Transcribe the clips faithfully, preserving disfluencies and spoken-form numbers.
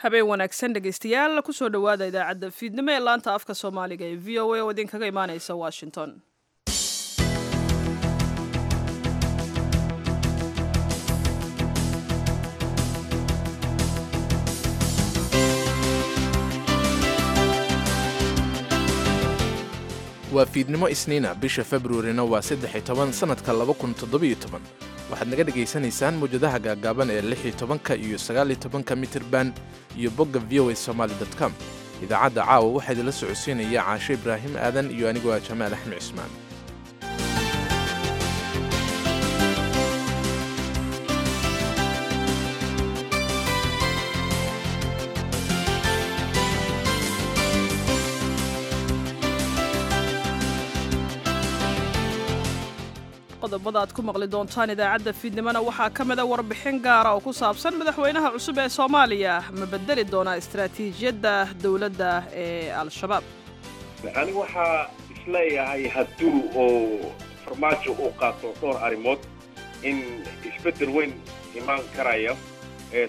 Habeen wanaagsan, dhegaystayaal. Kusoo dhowaada idaacadda fiidnimo ee laanta afka Soomaaliga ee V O A oo idinkaga imaaneysa Washington. Waa fiidnimo Isniina, bisha Februarina waa saddex iyo toban, sannadka laba kun toddobiyo toban. Waxaad naga dhegaysanaysaan mawjadaha gaagaaban ee lix iyo tobanka iyo sagaal iyo tobanka mitirban iyo bogga V O A Somaly com. Idaacadda caawa waxaa idinla socodsiinaya Caasho Ibraahim Aadan iyo anigoo ah Jamaal Axmed Cismaan. Qodobada aad ku maqli doontaan idaacadda fiidnimona waxaa ka mida warbixin gaara oo ku saabsan madaxweynaha cusub ee Soomaaliya ma bedeli doonaa istaraatiijiyadda dowladda ee Al-Shabaab? Anigu waxaa isleeyahay, hadduu oo Farmaajo uu qaato dhowr arrimood, in isbeddel weyn imaan karaya.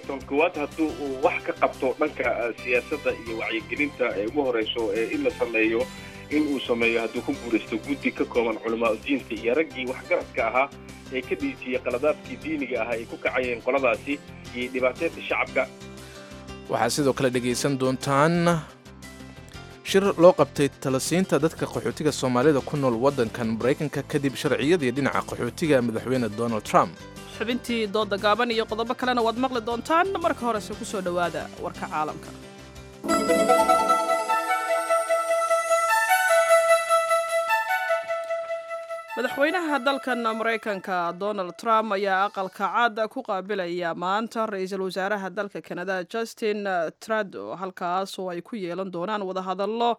Tan koowaad, hadduu uu wax ka qabto dhanka siyaasadda iyo wacyigelinta ee ugu horeyso ee in la sameeyo, in uu sameeyo, hadduu ku guulaysto, guddi ka kooban culamaa udiinta iyo raggii waxgaradka ahaa ee ka dhiijiyey qaladaadkii diiniga ahaa ay ku kacayeen qoladaasi iyo dhibaateynta shacabka. Waxaad sidoo kale dhegaysan doontaan shir loo qabtay talasiinta dadka qaxootiga Soomaalida ku nool waddankan Maraykanka kadib sharciyadii dhinaca qaxootiga madaxweyne Donald Trump. Xubintii dooda gaaban iyo qodobo kalena waad maqli doontaan. Marka horese ku soo dhowaada warka caalamka. Madaxweynaha dalkan Maraykanka Donald Trump ayaa Aqalka Cad ku qaabilaya maanta ra-iisul wasaaraha dalka Kanada Justin Trudeau, halkaas oo ay ku yeelan doonaan wadahadallo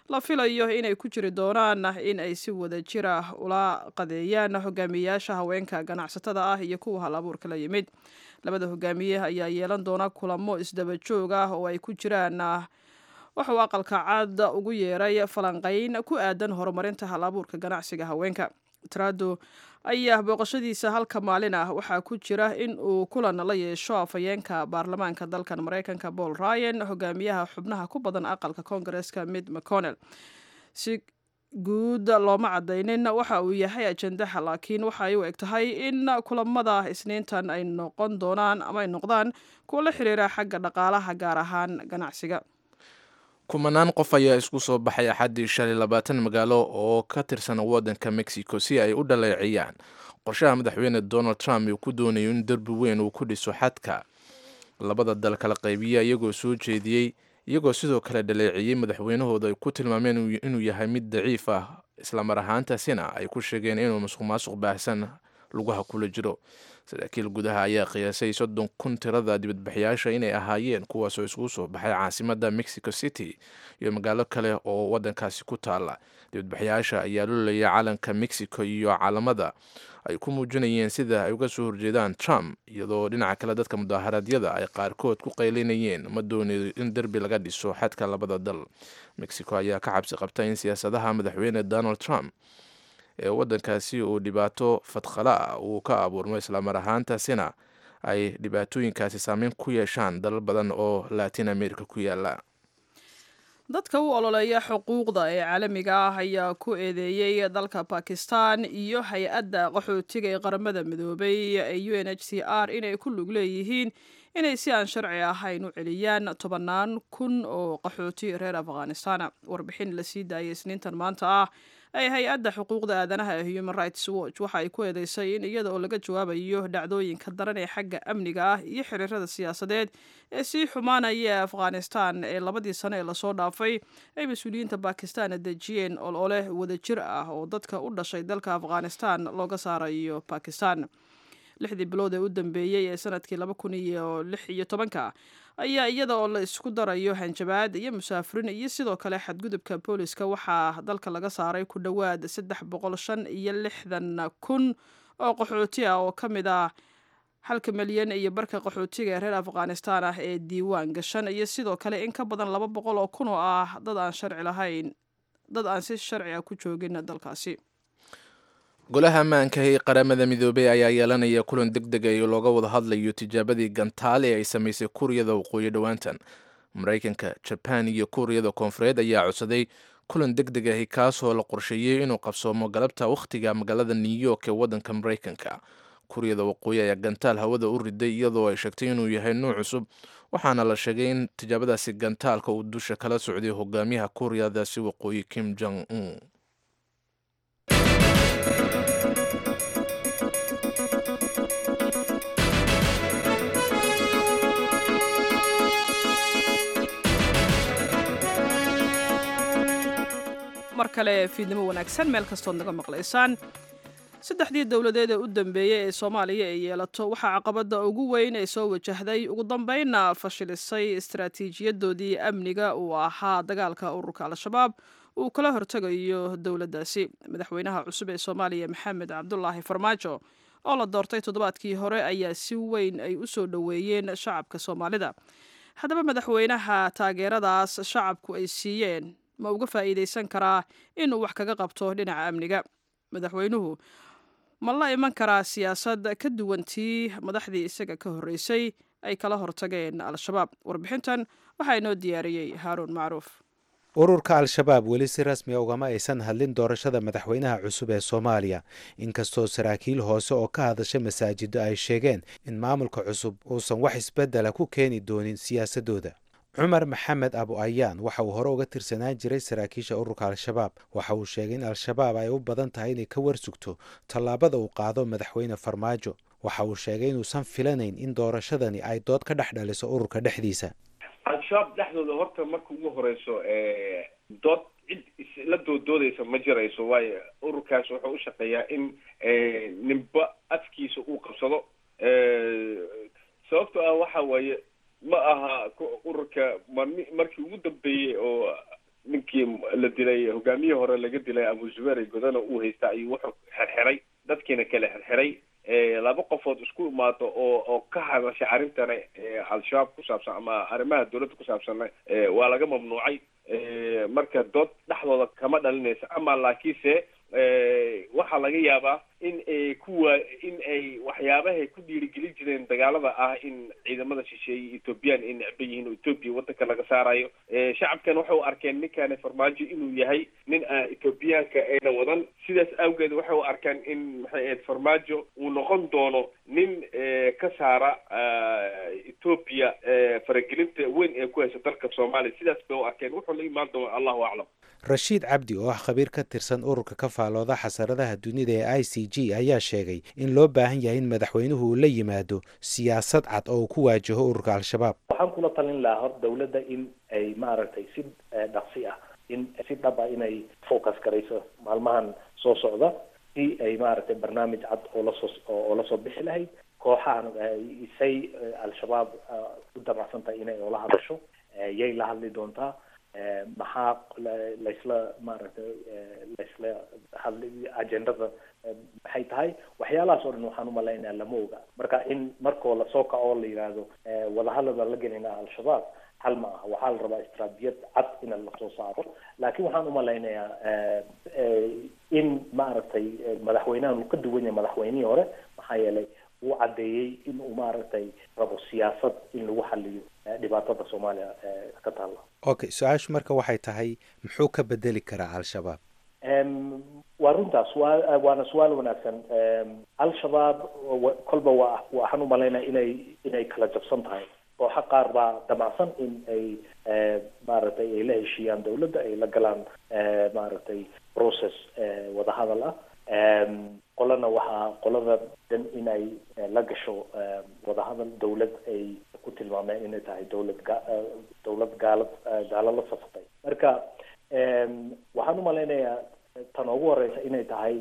la filayo inay ku jiri doonaan in ay si wada jir ah ula qadeeyaan hogaamiyeyaasha haweenka ganacsatada ah iyo kuwa hal abuurka la yimid. Labada hogaamiye ayaa yeelan doona kulamo isdaba joog ah oo ay ku jiraan wuxuu Aqalka Cad ugu yeeray falanqayn ku aadan horumarinta hal abuurka ganacsiga haweenka. Trudeau ayaa booqashadiisa halka maalin ah waxaa ku jira in uu kulan la yeesho afhayeenka baarlamaanka dalkan Maraykanka Paul Ryan, hogaamiyaha xubnaha ku badan aqalka Koongareeska Mitch McConnell. Si guud looma cadaynin waxa uu yahay ajendaha, laakiin waxa ay u eg tahay in kulamada Isniintan ay noqon doonaan ama ay noqdaan kuwo la xiriira xagga dhaqaalaha, gaar ahaan ganacsiga. Kumanaan qof ayaa isku soo baxay Axaddii shalay labaatan magaalo oo ka tirsan waddanka Mexico si ay u dhaleeciyaan qorshaha madaxweyne Donald Trump uu ku doonayo in derbi weyn uu ku dhiso xadka labada dal kala qaybiya, iyagoo soo jeediyey, iyagoo sidoo kale dhaleeciyey madaxweynahooda ay ku tilmaameen inuu yahay mid daciif ah, islamar ahaantaasina ay ku sheegeen inuu musuq maasuq baahsan lugaha kula jiro. Saraakiil gudaha ayaa qiyaasay soddon kun tirada dibadbaxyaasha inay ahaayeen, kuwaasoo isugu soo baxay caasimadda Mexico City iyo magaalo kale oo waddankaasi ku taala. Dibadbaxyaasha ayaa lulaya calanka Mexico iyo calamada ay ku muujinayeen sida ay uga soo horjeedaan Trump, iyadoo dhinaca kale dadka mudaaharaadyada ay qaarkood ku qaylinayeen "Ma doonayo in derbi laga dhiso xadka labada dal". Mexico ayaa ka cabsi qabta in siyaasadaha madaxweyne Donald Trump ee waddankaasi uu dhibaato fadqala ah uu ka abuurmo, islamar ahaantaasina ay dhibaatooyinkaasi saameyn ku yeeshaan dalal badan oo Latin America ku yaala. Dadka u ololeeya xuquuqda ee caalamiga ah ayaa ku eedeeyey dalka Bakistan iyo hay-adda qaxootiga ee Qaramada Midoobay ee U N H C R inay ku lug leeyihiin inay si aan sharci ahayn u celiyaan tobannaan kun oo qaxooti reer Afghanistan. Warbixin la sii daayay Isniintan maanta ah ay hay-adda xuquuqda aadanaha ee Human Rights Watch waxa ay ku eedeysay in iyada oo laga jawaabayo dhacdooyinka daran ee xagga amniga ah iyo xiriirada siyaasadeed ee sii xumaanaya ee Afghanistan ee labadii sano ee lasoo dhaafay, ay mas-uuliyiinta Bakistan dejiyeen olole wadajir ah oo dadka u dhashay dalka Afghanistan looga saarayo Bakistan. Lixdii bilood ee u dambeeyey ee sanadkii laba kun iyo lix iyo tobanka ayaa, iyada oo la isku darayo hanjabaad iyo musaafirin iyo sidoo kale xadgudubka booliska, waxaa dalka laga saaray ku dhowaad saddex boqol shan iyo lixdan kun oo qaxooti ah oo ka mid ah halka milyan iyo barka qaxootiga ee reer Afghanistan ah ee diiwaan gashan, iyo sidoo kale in ka badan laba boqol oo kun oo ah dad aan sharci lahayn, dad aan si sharci ah ku joogin dalkaasi. Golaha ammaanka ee Qaramada Midoobey ayaa yeelanaya kulan deg deg ah oo looga wada hadlayo tijaabadii gantaale ee ay samaysay Kuuriyada Waqooyi dhowaantan. Maraykanka, Jabaan iyo Kuuriyada Koonfureed ayaa codsaday kulan deg deg ahi, kaasoo la qorsheeyey inuu qabsoomo galabta wakhtiga magaalada New York ee waddanka Maraykanka. Kuuriyada Waqooyi ayaa gantaal hawada u riday, iyadoo ay sheegtay inuu yahay nuuc cusub, waxaana la sheegay in tijaabadaasi gantaalka uu dusha kala socday hogaamiyaha Kuuriyadaasi Waqooyi, Kim Jong Un. Mar kale fiidnimo wanaagsan meel kastood naga maqlaysaan. Saddexdii dowladeed ee u dambeeyey ee Soomaaliya ay yeelato, waxaa caqabadda ugu weyn ee soo wajahday, ugu dambeynna fashilisay istaraatiijiyadoodii amniga uu ahaa dagaalka ururka Al-Shabaab uu kala hortegayo dowladdaasi. Madaxweynaha cusub ee Soomaaliya, Maxamed Cabdulaahi Farmaajo, oo la doortay toddobaadkii hore, ayaa si weyn ay u soo dhoweeyeen shacabka Soomaalida. Haddaba, madaxweynaha taageeradaas shacabku ay siiyeen ma uga faa'iidaysan karaa inuu wax kaga qabto dhinaca amniga? Madaxweynuhu ma la iman karaa siyaasad ka duwan tii madaxdii isaga ka horreysay ay kala hortageen Al-Shabaab? Warbixintan waxaa inoo diyaariyey Haaruun Macruuf. Ururka Al-Shabaab weli si rasmiya ugama aysan hadlin doorashada madaxweynaha cusub ee Soomaaliya, inkastoo saraakiil hoose oo ka hadasha masaajido ay sheegeen in maamulka cusub uusan wax isbeddela ku keeni doonin siyaasadooda. Cumar Maxamed Abu Ayaan waxa uu hore uga tirsanaan jiray saraakiisha ururka Al-Shabaab. Waxa uu sheegay in Al-Shabaab ay u badan tahay inay ka warsugto tallaabada uu qaado madaxweyne Farmaajo. Waxa uu sheegay inuusan filanayn in doorashadani ay dood ka dhex dhaliso ururka dhexdiisa. Al-Shabaab dhexdooda horta marka ugu horeyso dood cid isla dooddoodaysa ma jirayso, waayo ururkaas wuxuu u shaqeeyaa in ninba afkiisa uu qabsado. Sababto ah waxa waaye, ma aha ururka markii ugu dambeeyey oo ninkii la dilay, hogaamiyihii hore laga dilay, Abu Zubeer Godana uu haysta, ayuu wuxuu xirxiray dadkiina kale xirxiray. Laba qofood isku imaado oo oo ka hadasha arrintana Al-Shabaab ku saabsan ama arrimaha dowladda ku saabsanna waa laga mamnuucay. Marka dood dhexdooda kama dhalinaysa, ama laakiinse waxaa laga yaabaa in ay kuwa in ay waxyaabahay ku dhiirigelin jireen dagaalada ah, in ciidamada shisheeye Ethoobiyan ay necban yihiin oo Ethoobia wadanka laga saarayo. Shacabkan waxay u arkeen ninkani Farmaajo inuu yahay nin aan Ethoobiyaanka ayna wadan. Sidaas awgeed waxay u arkaan in, maxay ahayd, Farmaajo uu noqon doono nin ka saara Ethoobia faragelinta weyn ee ku haysa dalka Soomaaliya. Sidaas bay u arkeen. Wuxuu la imaan doona, Allahu aclam. Rashiid Cabdi oo ah khabiir ka tirsan ururka ka faalooda xasaradaha dunida ee I C G ayaa sheegay in loo baahan yahay in madaxweynuhu uu la yimaado siyaasad cad oo uu ku waajaho ururka Al-Shabaab. Waxaan kula talin lahaa hor dowladda in ay maaragtay si dhaqsi ah, in si dhab ah inay focus garayso maalmahan soo socda, si ay maaragtay barnaamij cad oo lasoo oo lasoo bixi lahayd kooxahan say Al-Shabaab u damacsan tahay inay oola hadasho. Yay la hadli doontaa? Maxaa laysla maaragtay laysla hadli? Agendada maxay tahay? Waxyaalahaas oo dhan waxaan umalaynaya lama oga. Marka in markoo lasoo kaco oo la yidhaahdo wadahadal baan la gelaynaa Al-Shabaab, xal ma aha. Waxaa la rabaa istraatijiyad cad in lasoo saaro. Laakiin waxaan umalaynayaa in maaragtay madaxweynahan uu ka duwan yahay madaxweynihii hore, maxaa yeelay uu caddeeyey in uu maaragtay rabo siyaasad in lagu xaliyo dhibaatada Soomaaliya ka taalla. Okay, su-aashu marka waxay tahay, muxuu ka bedeli karaa Al-Shabaab? Waa runtaas, waa waana su-aal wanaagsan. Al-Shabaab kolba waa waxaan umalaynaya inay inay kala jabsan tahay. Kooxo qaar baa damacsan in ay maaragtay ay la heshiiyaan dowladda, ay la galaan maaragtay process wadahadal ah. Qolana waxaa qolada dan inay la gasho wadahadal dowlad ay ku tilmaameen inay tahay dowlad ga dowlad gaalad gaalo la safatay. Marka waxaan umalaynayaa tan ugu horeysa inay tahay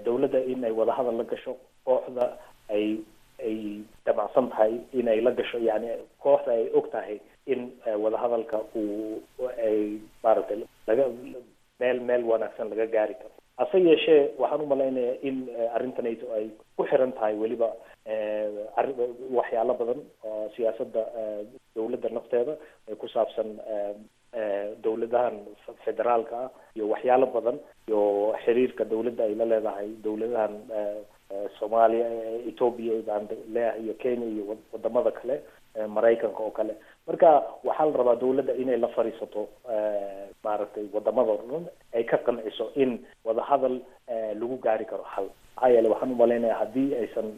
dowladda inay wadahadal la gasho kooxda ay ay damacsan tahay inay la gasho, yani kooxda ay og tahay in wadahadalka uu ay maaragtay laga meel meel wanaagsan laga gaari karo. Hase yeeshee waxaan umalaynayaa in arrintanayto ay ku xiran tahay weliba waxyaalo badan oo siyaasadda dowladda nafteeda ay ku saabsan. Dowladahan federaalka ah iyo waxyaalo badan iyo xiriirka dowladda ay la leedahay dowladahan Soomaaliya, Ethiopia baan leeyahay, iyo Kenya iyo wadamada kale, Maraykanka oo kale. Marka waxaa la rabaa dowladda inay la fadhiisato maaragtay wadamada oo dhan, ay ka qanciso in wadahadal lagu gaari karo xal. Maxaa yeele waxaan umalaynaya haddii aysan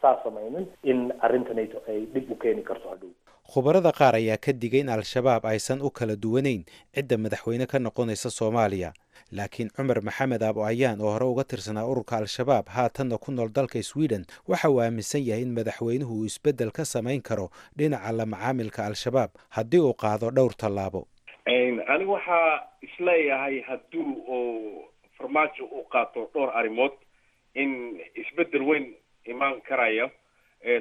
saa samaynin in arrintanayto ay dhib u keeni karto hadhow. Khubarada qaar ayaa ka digay in Al-Shabaab aysan u kala duwanayn cidda madaxweyne ka noqonaysa Soomaaliya. Laakiin Cumar Maxamed Aabo Ayaan, oo hore uga tirsanaa ururka Al-Shabaab, haatanna ku nool dalka Sweden, waxa uu aaminsan yahay in madaxweynuhu uu isbeddel ka samayn karo dhinaca la macaamilka Al-Shabaab haddii uu qaado dhowr tallaabo. Anigu waxaa isleeyahay hadduu oo Farmaajo uu qaato dhowr arrimood in isbeddel weyn imaan karaya.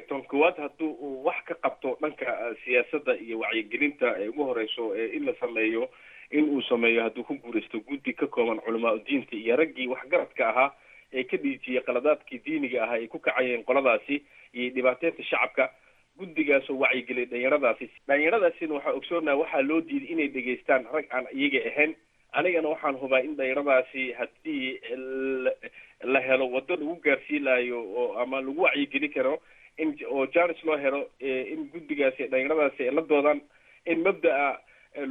Ton koowaad, hadduu uu wax ka qabto dhanka siyaasadda iyo wacyigelinta ee ugu horeyso in la sameeyo, in uu sameeyo hadduu ku guuraysto guddi ka kooban culamaa udiinta iyo raggii waxgaradka ahaa ee ka dhiijiyey qaladaadkii diiniga ahaa ay ku kacayeen qoladaasi iyo dhibaateynta shacabka, guddigaasoo wacyigeliyay dhalinyaradaasi. Dhalinyaradaasina waxaa ogsoonaha waxaa loo diiday inay dhegaystaan rag aan iyaga ahayn. Anigana waxaan hubaa in dhalinyaradaasi haddii la helo waddo lagu gaarsiin lahayo oo ama lagu wacyigeli karo in oo janis loo helo in guddigaasi dhalinyaradaasi ay la doodaan in mabda'a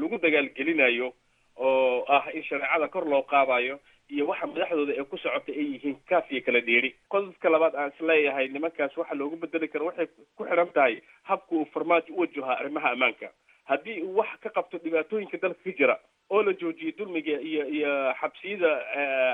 lagu dagaalgelinayo oo ah in shareecada kor loo qaadayo iyo waxa madaxdooda ay ku socota ay yihiin kaaf iyo kala dheeri. Qodobka labaad aan isleeyahay nimankaas waxa loogu bedeli karo waxay ku xidhan tahay habka uu Farmaajo u wajahaa arrimaha ammaanka. Haddii uu wax ka qabto dhibaatooyinka dalka ka jira oo la joojiyo dulmiga iyo iyo xabsiyada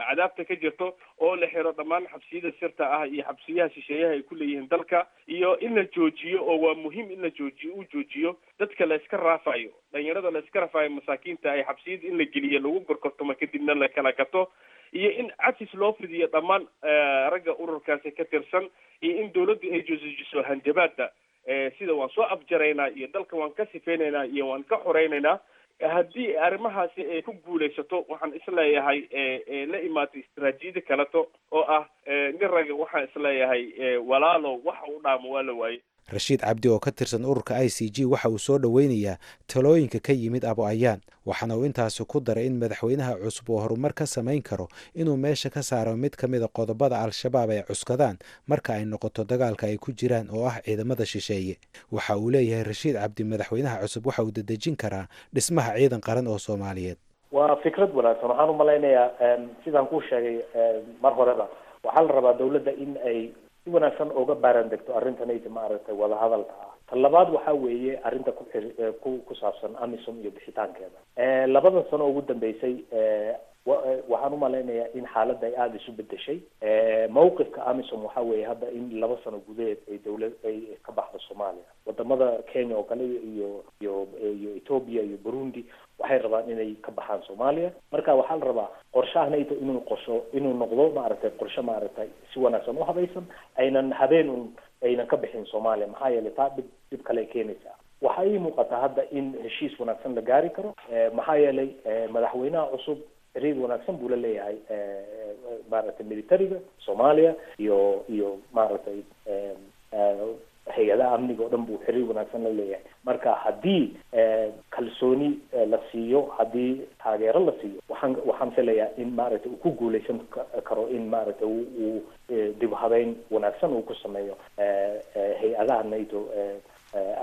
cadaabta ka jirto, oo la xiro dhammaan xabsiyada sirta ah iyo xabsiyaha shisheeyaha ay ku leeyihiin dalka, iyo in la joojiyo oo waa muhiim in la joojiyo, uu joojiyo dadka la iska raafayo, dhalinyarada la iska raafayo, masaakiinta ay xabsiyada in la geliyo, lagu gorgortamo, kadibna la kala gato, iyo in cafis loo fidiyo dhammaan ragga ururkaasi ka tirsan, iyo in dawladdu ay joojiso hanjabaada sida waan soo afjaraynaa iyo dalka waan ka sifeynaynaa iyo waan ka xoreynaynaa. Haddii arrimahaasi ay ku guulaysato, waxaan isleeyahay la imaatay istaraatiijiyada kaleto oo ah nin raga, waxaan isleeyahay walaalo waxa u dhaamo waa la waayey. Rashiid Cabdi oo ka tirsan ururka I C J waxa uu soo dhoweynayaa talooyinka ka yimid Abo Ayaan, waxaana uu intaasi ku daray in madaxweynaha cusub uu horumar ka samayn karo inuu meesha ka saaro mid ka mida qodobada Al-Shabaab ay cuskadaan marka ay noqoto dagaalka ay ku jiraan, oo ah ciidamada shisheeye. Waxa uu leeyahay Rashiid Cabdi, madaxweynaha cusub waxa uu dedejin karaa dhismaha ciidan qaran oo Soomaaliyeed. Waa fikrad wanaagsan. Waxaan umalaynayaa sidaan kuu sheegay mar horeba, waxaa la rabaa dawladda in ay si wanaagsan uga baaran degto arrintanayta maaragtay wadahadalka ah. Ta labaad waxaa weeye arrinta ku ku ku saabsan AMISOM iyo bixitaankeeda. Labadan sano ugu dambeysay waxaan umalaynayaa in xaaladda ay aada isu bedeshay. Mawqifka AMISOM waxaa weeye hadda in laba sano gudaheed ay dawlad ay ka baxdo Soomaaliya. Wadamada Kenya oo kale iyo iyo iyo Ethiopia iyo Burundi waxay rabaan inay ka baxaan Soomaaliya. Marka waxaa la rabaa qorshahanayto inuu qorsho inuu noqdo maaragtay qorshe maaragtay si wanaagsan u habaysan, aynan habeen un aynan ka bixin Soomaaliya, maxaa yeelay taa dhib dhib kale ay keenaysaa. Waxaa ii muuqataa hadda in heshiis wanaagsan la gaari karo, maxaa yeelay madaxweynaha cusub xiriir wanaagsan buu la leeyahay maaragtay militariga Soomaaliya iyo iyo maaragtay hay-adaha amniga oo dhan buu xiriir wanaagsan la leeyahay. Marka haddii kalsooni la siiyo, haddii taageero la siiyo, waxaan waxaan filayaa in maaragtay uu ku guuleysan karo in maaragtay uu dib u habeyn wanaagsan uu ku sameeyo hay-adaha nato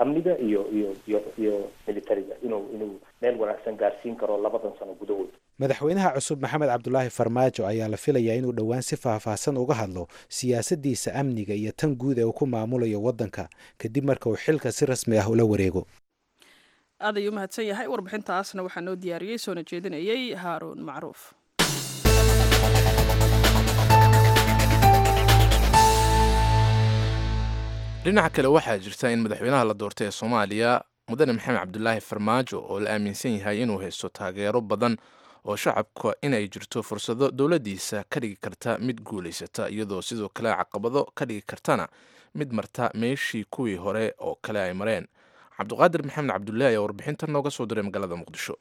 amniga iyo iyo iyo iyo militariga, inuu inuu meel wanaagsan gaarsiin karo labadan sano gudahood. Madaxweynaha cusub Maxamed Cabdulaahi Farmaajo ayaa la filayaa inuu dhowaan si faahfaahsan uga hadlo siyaasaddiisa amniga iyo tan guud ee uu ku maamulayo waddanka kadib marka uu xilka si rasmi ah ula wareego. Aad ayuu umahadsan yahay. Warbixintaasna waxaa noo diyaariyey soona jeedinayey Haaruun Macruuf. Dhinaca kale, waxaa jirta in madaxweynaha la doortay ee Soomaaliya, mudane Maxamed Cabdulaahi Farmaajo, oo la aaminsan yahay inuu haysto taageero badan oo shacabka, inay jirto fursado dowladdiisa ka dhigi karta mid guulaysata, iyadoo sidoo kale caqabado ka dhigi kartana mid marta meeshii kuwii hore oo kale ay mareen. Cabdiqaadir Maxamed Cabdullaahi ayaa warbixintan nooga soo diray magaalada Muqdisho.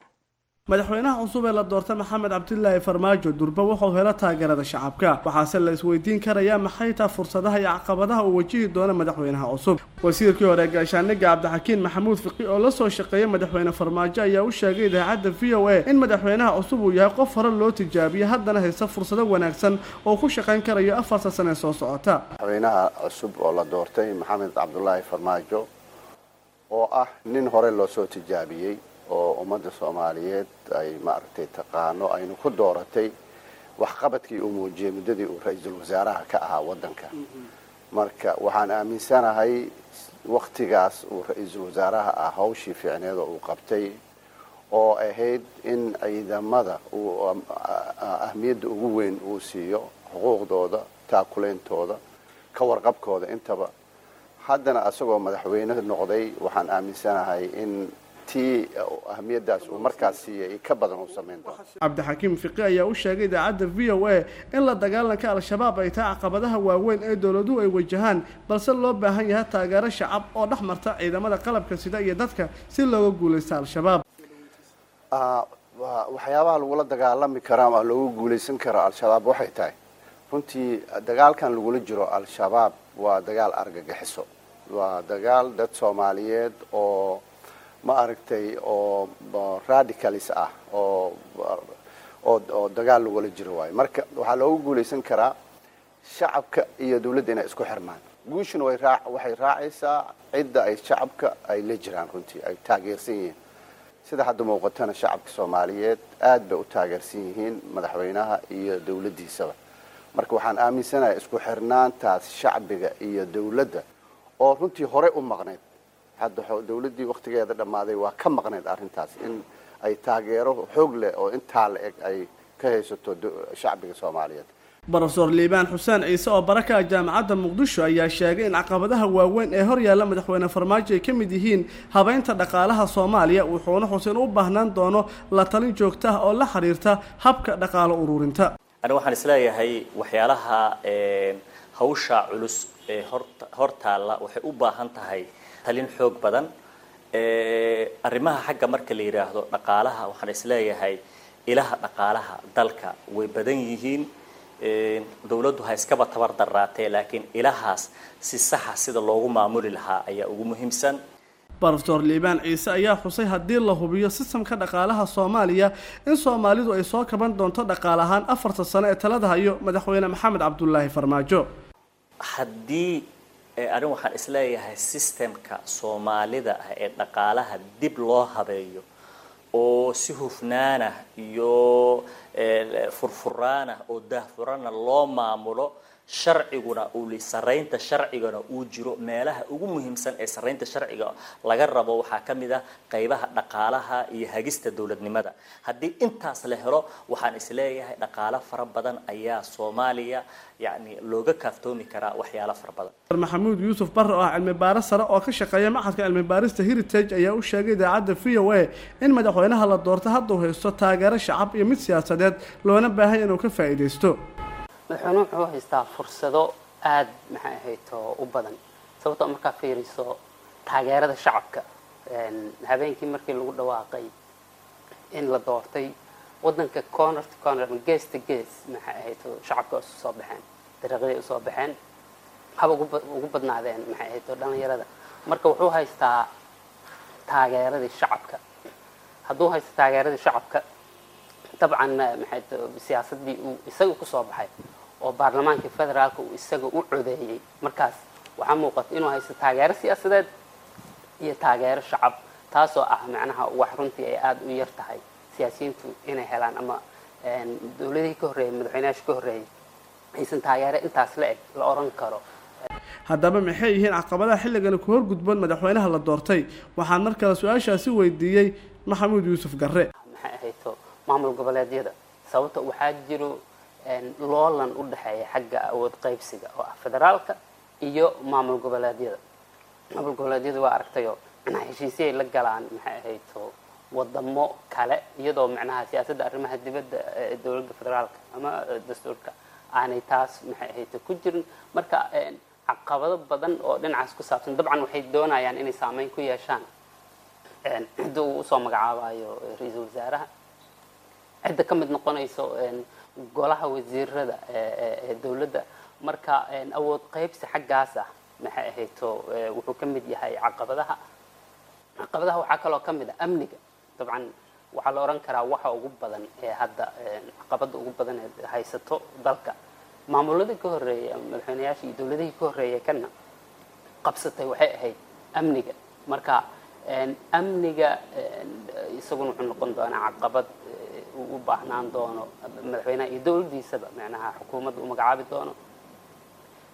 Madaxweynaha cusub ee la doortay, Maxamed Cabdilaahi Farmaajo, durba wuxuu helo taageerada shacabka. Waxaase la isweydiin karayaa maxay taa fursadaha iyo caqabadaha uu wajihi doono madaxweynaha cusub. Wasiirkii hore gaashaaniga Cabdixakiin Maxamuud Fiqi oo la soo shaqeeyay madaxweyne Farmaajo ayaa u sheegay idaacadda V O A in madaxweynaha cusub uu yahay qof hore loo tijaabiyey, haddana haysta fursado wanaagsan oo ku shaqayn karayo afarta sane soo socota. Madaxweynaha cusub oo la doortay, Maxamed Cabdulaahi Farmaajo, oo ah nin hore loo soo tijaabiyey oo ummadda Soomaaliyeed ay maaragtay taqaano, aynu ku dooratay waxqabadkii uu muujiyey muddadii uu ra-iisul wasaaraha ka ahaa waddanka. Marka waxaan aaminsanahay waktigaas uu ra-iisul wasaaraha ah hawshii fiicneed oo uu qabtay, oo ahayd in ciidamada uu ahmiyadda ugu weyn uu siiyo, xuquuqdooda, taakuleyntooda, ka warqabkooda intaba. Haddana asagoo madaxweyne noqday, waxaan aaminsanahay in tii ahmiyaddaas uu markaas siiyay ka badan uu samayn doono. Cabdixakiim Fiqi ayaa u sheegay idaacadda V O A in la dagaalanka Al-Shabaab ay tahay caqabadaha waaweyn ee dowladuhu ay wajahaan, balse loo baahan yahay taageero shacab oo dhex marta ciidamada qalabka sida iyo dadka si looga guulaysta Al-Shabaab. Waxyaabaha lagula dagaalami kara ama loogu guulaysan karo Al-Shabaab waxay tahay, runtii dagaalkan lagula jiro Al-Shabaab waa dagaal argagixiso, waa dagaal dad Soomaaliyeed oo ma aragtay oo radicalis ah oo oo oo dagaal lagula jiro waayo. Marka waxaa loogu guulaysan karaa shacabka iyo dawladda inay isku xirmaan. Guushuna way raa waxay raacaysaa cidda ay shacabka ay la jiraan, runtii ay taageersan yihiin. Sida hadda muuqatana, shacabka Soomaaliyeed aad bay u taageersan yihiin madaxweynaha iyo dawladdiisaba. Marka waxaan aaminsanahay isku xirnaantaas shacbiga iyo dawladda, oo runtii horey u maqnayd, hadda dawladdii waktigeeda dhammaaday waa ka maqnayd arrintaas, in ay taageero xoog leh oo intaa la eg ay ka haysato shacbiga Soomaaliyeed. Brofesor Liibaan Xuseen Ciise oo baraka Jaamacadda Muqdisho ayaa sheegay in caqabadaha waaweyn ee hor yaalla madaxweyne Farmaajo ay ka mid yihiin habeynta dhaqaalaha Soomaaliya, wuxuuna xuseen u baahnaan doono la talin joogta ah oo la xiriirta habka dhaqaalo ururinta. Ani waxaan isleeyahay waxyaalaha hawsha culus ee hor hor taalla waxay u baahan tahay talin xoog badan. Arrimaha xagga marka la yidhaahdo dhaqaalaha, waxaan isleeyahay ilaha dhaqaalaha dalka way badan yihiin, dawladdu ha iskaba tabar daraatee, laakiin ilahaas si saxa sida loogu maamuli lahaa ayaa ugu muhiimsan. Brofesor Liibaan Ciise ayaa xusay haddii la hubiyo sistamka dhaqaalaha Soomaaliya in Soomaalidu ay soo kaban doonto dhaqaale ahaan afarta sano ee talada hayo madaxweyne Maxamed Cabdulaahi Farmaajo. Haddii arrin waxaan isleeyahay systemka Soomaalida ah ee dhaqaalaha dib loo habeeyo oo si hufnaanah iyo furfuraanah oo daahfurana loo maamulo, sharciguna uu saraynta sharcigana uu jiro, meelaha ugu muhiimsan ee saraynta sharciga laga rabo waxaa ka mid ah qaybaha dhaqaalaha iyo hagista dowladnimada. Haddii intaas la helo, waxaan isleeyahay dhaqaalo fara badan ayaa Soomaaliya yacni looga kaaftoomi karaa waxyaalo fara badan. Maxamuud Yuusuf Barre oo ah cilmi baaro sare oo ka shaqeeya Machadka Cilmi Baarista Heritage ayaa u sheegay idaacadda V O A in madaxweynaha la doorto hadduu haysto taageero shacab iyo mid siyaasadeed, loona baahay inuu ka faa'iidaysto. Madaxweynuhu wuxuu haystaa fursado aada maxay ahayto u badan, sababtoo markaa fiiriso taageerada shacabka, habeenkii markii lagu dhawaaqay in la doortay, waddanka corner to corner ama gees to gees maxay ahayto shacabka isu soo baxeen, dariiqyaday usoo baxeen, haba ugu badnaadeen maxay ahayto dhalinyarada. Marka wuxuu haystaa taageeradii shacabka. Hadduu haysto taageeradii shacabka, dabcan maxay siyaasaddii uu isaga kusoo baxay oo baarlamaankii federaalka uu isaga u codeeyey, markaas waxaa muuqata inuu haysto taageero siyaasadeed iyo taageero shacab, taasoo ah macnaha wax runtii ay aada u yar tahay siyaasiyiintu inay helaan, ama dowladihii ka horreeyay, madaxweynayaasha ka horreeyay aysan taageero intaas la eg la oran karo. Haddaba maxay yihiin caqabadaha xilligani ku horgudboon madaxweynaha la doortay? Waxaan mar kale su-aashaasi weydiiyey Maxamuud Yuusuf Garre. Maxay ahayto maamul goboleedyada, sababta waxaa jiro loolan u dhexeeya xagga awood qaybsiga oo ah federaalka iyo maamul goboleedyada. Maamul goboleedyada waa aragtayo macnaha heshiisyay la galaan maxay ahayto wadamo kale, iyadoo macnaha siyaasadda arrimaha dibadda ee dowladda federaalka ama dastuurka aanay taas maxay ahayto ku jirin. Marka caqabado badan oo dhinacaas ku saabsan, dabcan waxay doonayaan inay saameyn ku yeeshaan cidda uu usoo magacaabayo ra-iisul wasaaraha. Cidda ka mid noqonayso golaha wasiirada ee dowladda. Marka awood qaybsi xaggaas ah maxay ahayto wuxuu ka mid yahay caqabadaha. Caqabadaha waxaa kaloo ka mid ah amniga. Dabcan waxaa la odhan karaa waxa ugu badan ee hadda caqabadda ugu badan ee haysato dalka, maamuladii ka horreeyay ama madaxweynayaashii iyo dowladihii ka horreeyay kana qabsatay, waxay ahayd amniga. Marka amniga isaguna wuxuu noqon doonaa caqabad uu u baahnaan doono madaxweynaha iyo dowladdiisaba, macnaha xukuumadda uu magacaabi doono,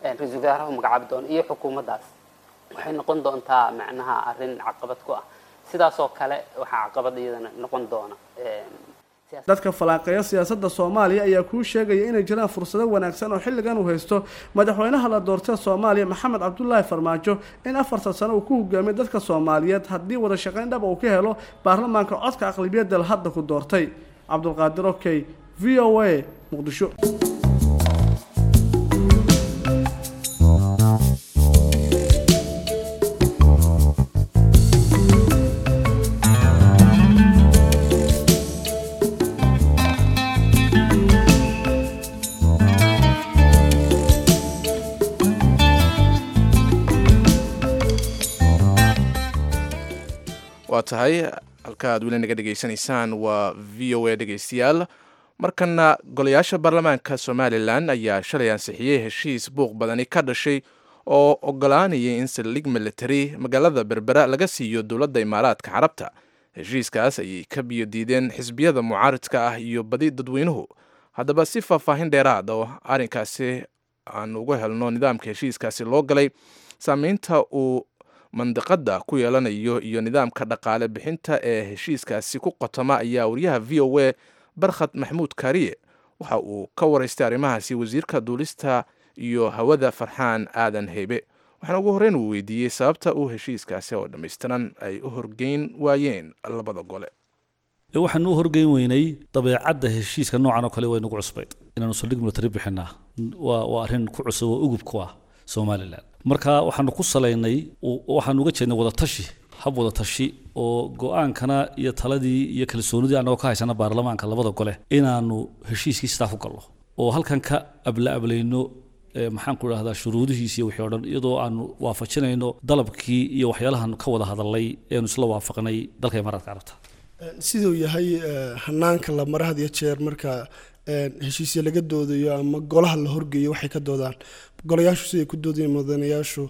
ra-iisul wasaaraha uu magacaabi doono iyo xukuumaddaas, waxay noqon doontaa macnaha arrin caqabad ku ah. Sidaasoo kale waxaa caqabad iyadana noqon doona. Dadka falaaqeeya siyaasadda Soomaaliya ayaa kuu sheegaya inay jiraan fursado wanaagsan oo xilligan uu haysto madaxweynaha la doortay Soomaaliya Maxamed Cabdulaahi Farmaajo in afartan sano uu ku hogaamiyo dadka Soomaaliyeed, haddii wada shaqayn dhab uu ka helo baarlamaanka codka aqlabiyadda hadda ku doortay. Cabdulqaadir Okey, V O A, Muqdisho. Waa tahay, halka aad weli naga dhegaysanaysaan waa V O A. Dhegeystayaal, markana golayaasha baarlamaanka Somalilan ayaa shalay ansixiyey heshiis buuq badani ka dhashay oo ogolaanayay in saldhig military magaalada Berbera laga siiyo dowladda Imaaraadka Carabta. Heshiiskaas ayay ka biyo diideen xisbiyada mucaaridka ah iyo badi dadweynuhu. Haddaba, si faahfaahin dheeraad oo arrinkaasi aan uga helno, nidaamka heshiiskaasi loo galay, saameynta uu mandiqada ku yeelanayo iyo nidaamka dhaqaale bixinta ee heshiiskaasi ku qotoma, ayaa wariyaha V O A Barkhad Maxmuud Kaariye waxa uu ka waraystay arrimahaasi wasiirka duulista iyo hawada Farxaan Aadan Heybe, waxaana ugu horreyn uu weydiiyey sababta uu heshiiskaasi oo dhammaystiran ay u horgeyn waayeen labada gole. Waxaanu u horgeyn weynay dabeecadda heshiiska noocan oo kale way nagu cusbayd. Inaanu saldhig military bixinaa waa waa arrin ku cusub oo ugub ku ah Somaliland. Marka waxaanu ku salaynay, waxaanu uga jeednay wadatashi, hab wadatashi oo go-aankana iyo taladii iyo kalsoonidii annagoo ka haysana baarlamaanka labada gole inaanu heshiiskii sidaa ku gallo oo halkan ka abla ablayno, maxaan ku idhahdaa, shuruudihiisi iyo wixii o dhan, iyadoo aanu waafajinayno dalabkii iyo waxyaalahan ka wada hadalnay eenu isla waafaqnay dalka Imaaraadka Carabta. Siduu yahay hanaanka la mara had iyo jeer marka heshiisya laga doodayo ama golaha la horgeeyo, waxay ka doodaan golayaashu, siday ku doodayeen mudanayaashu,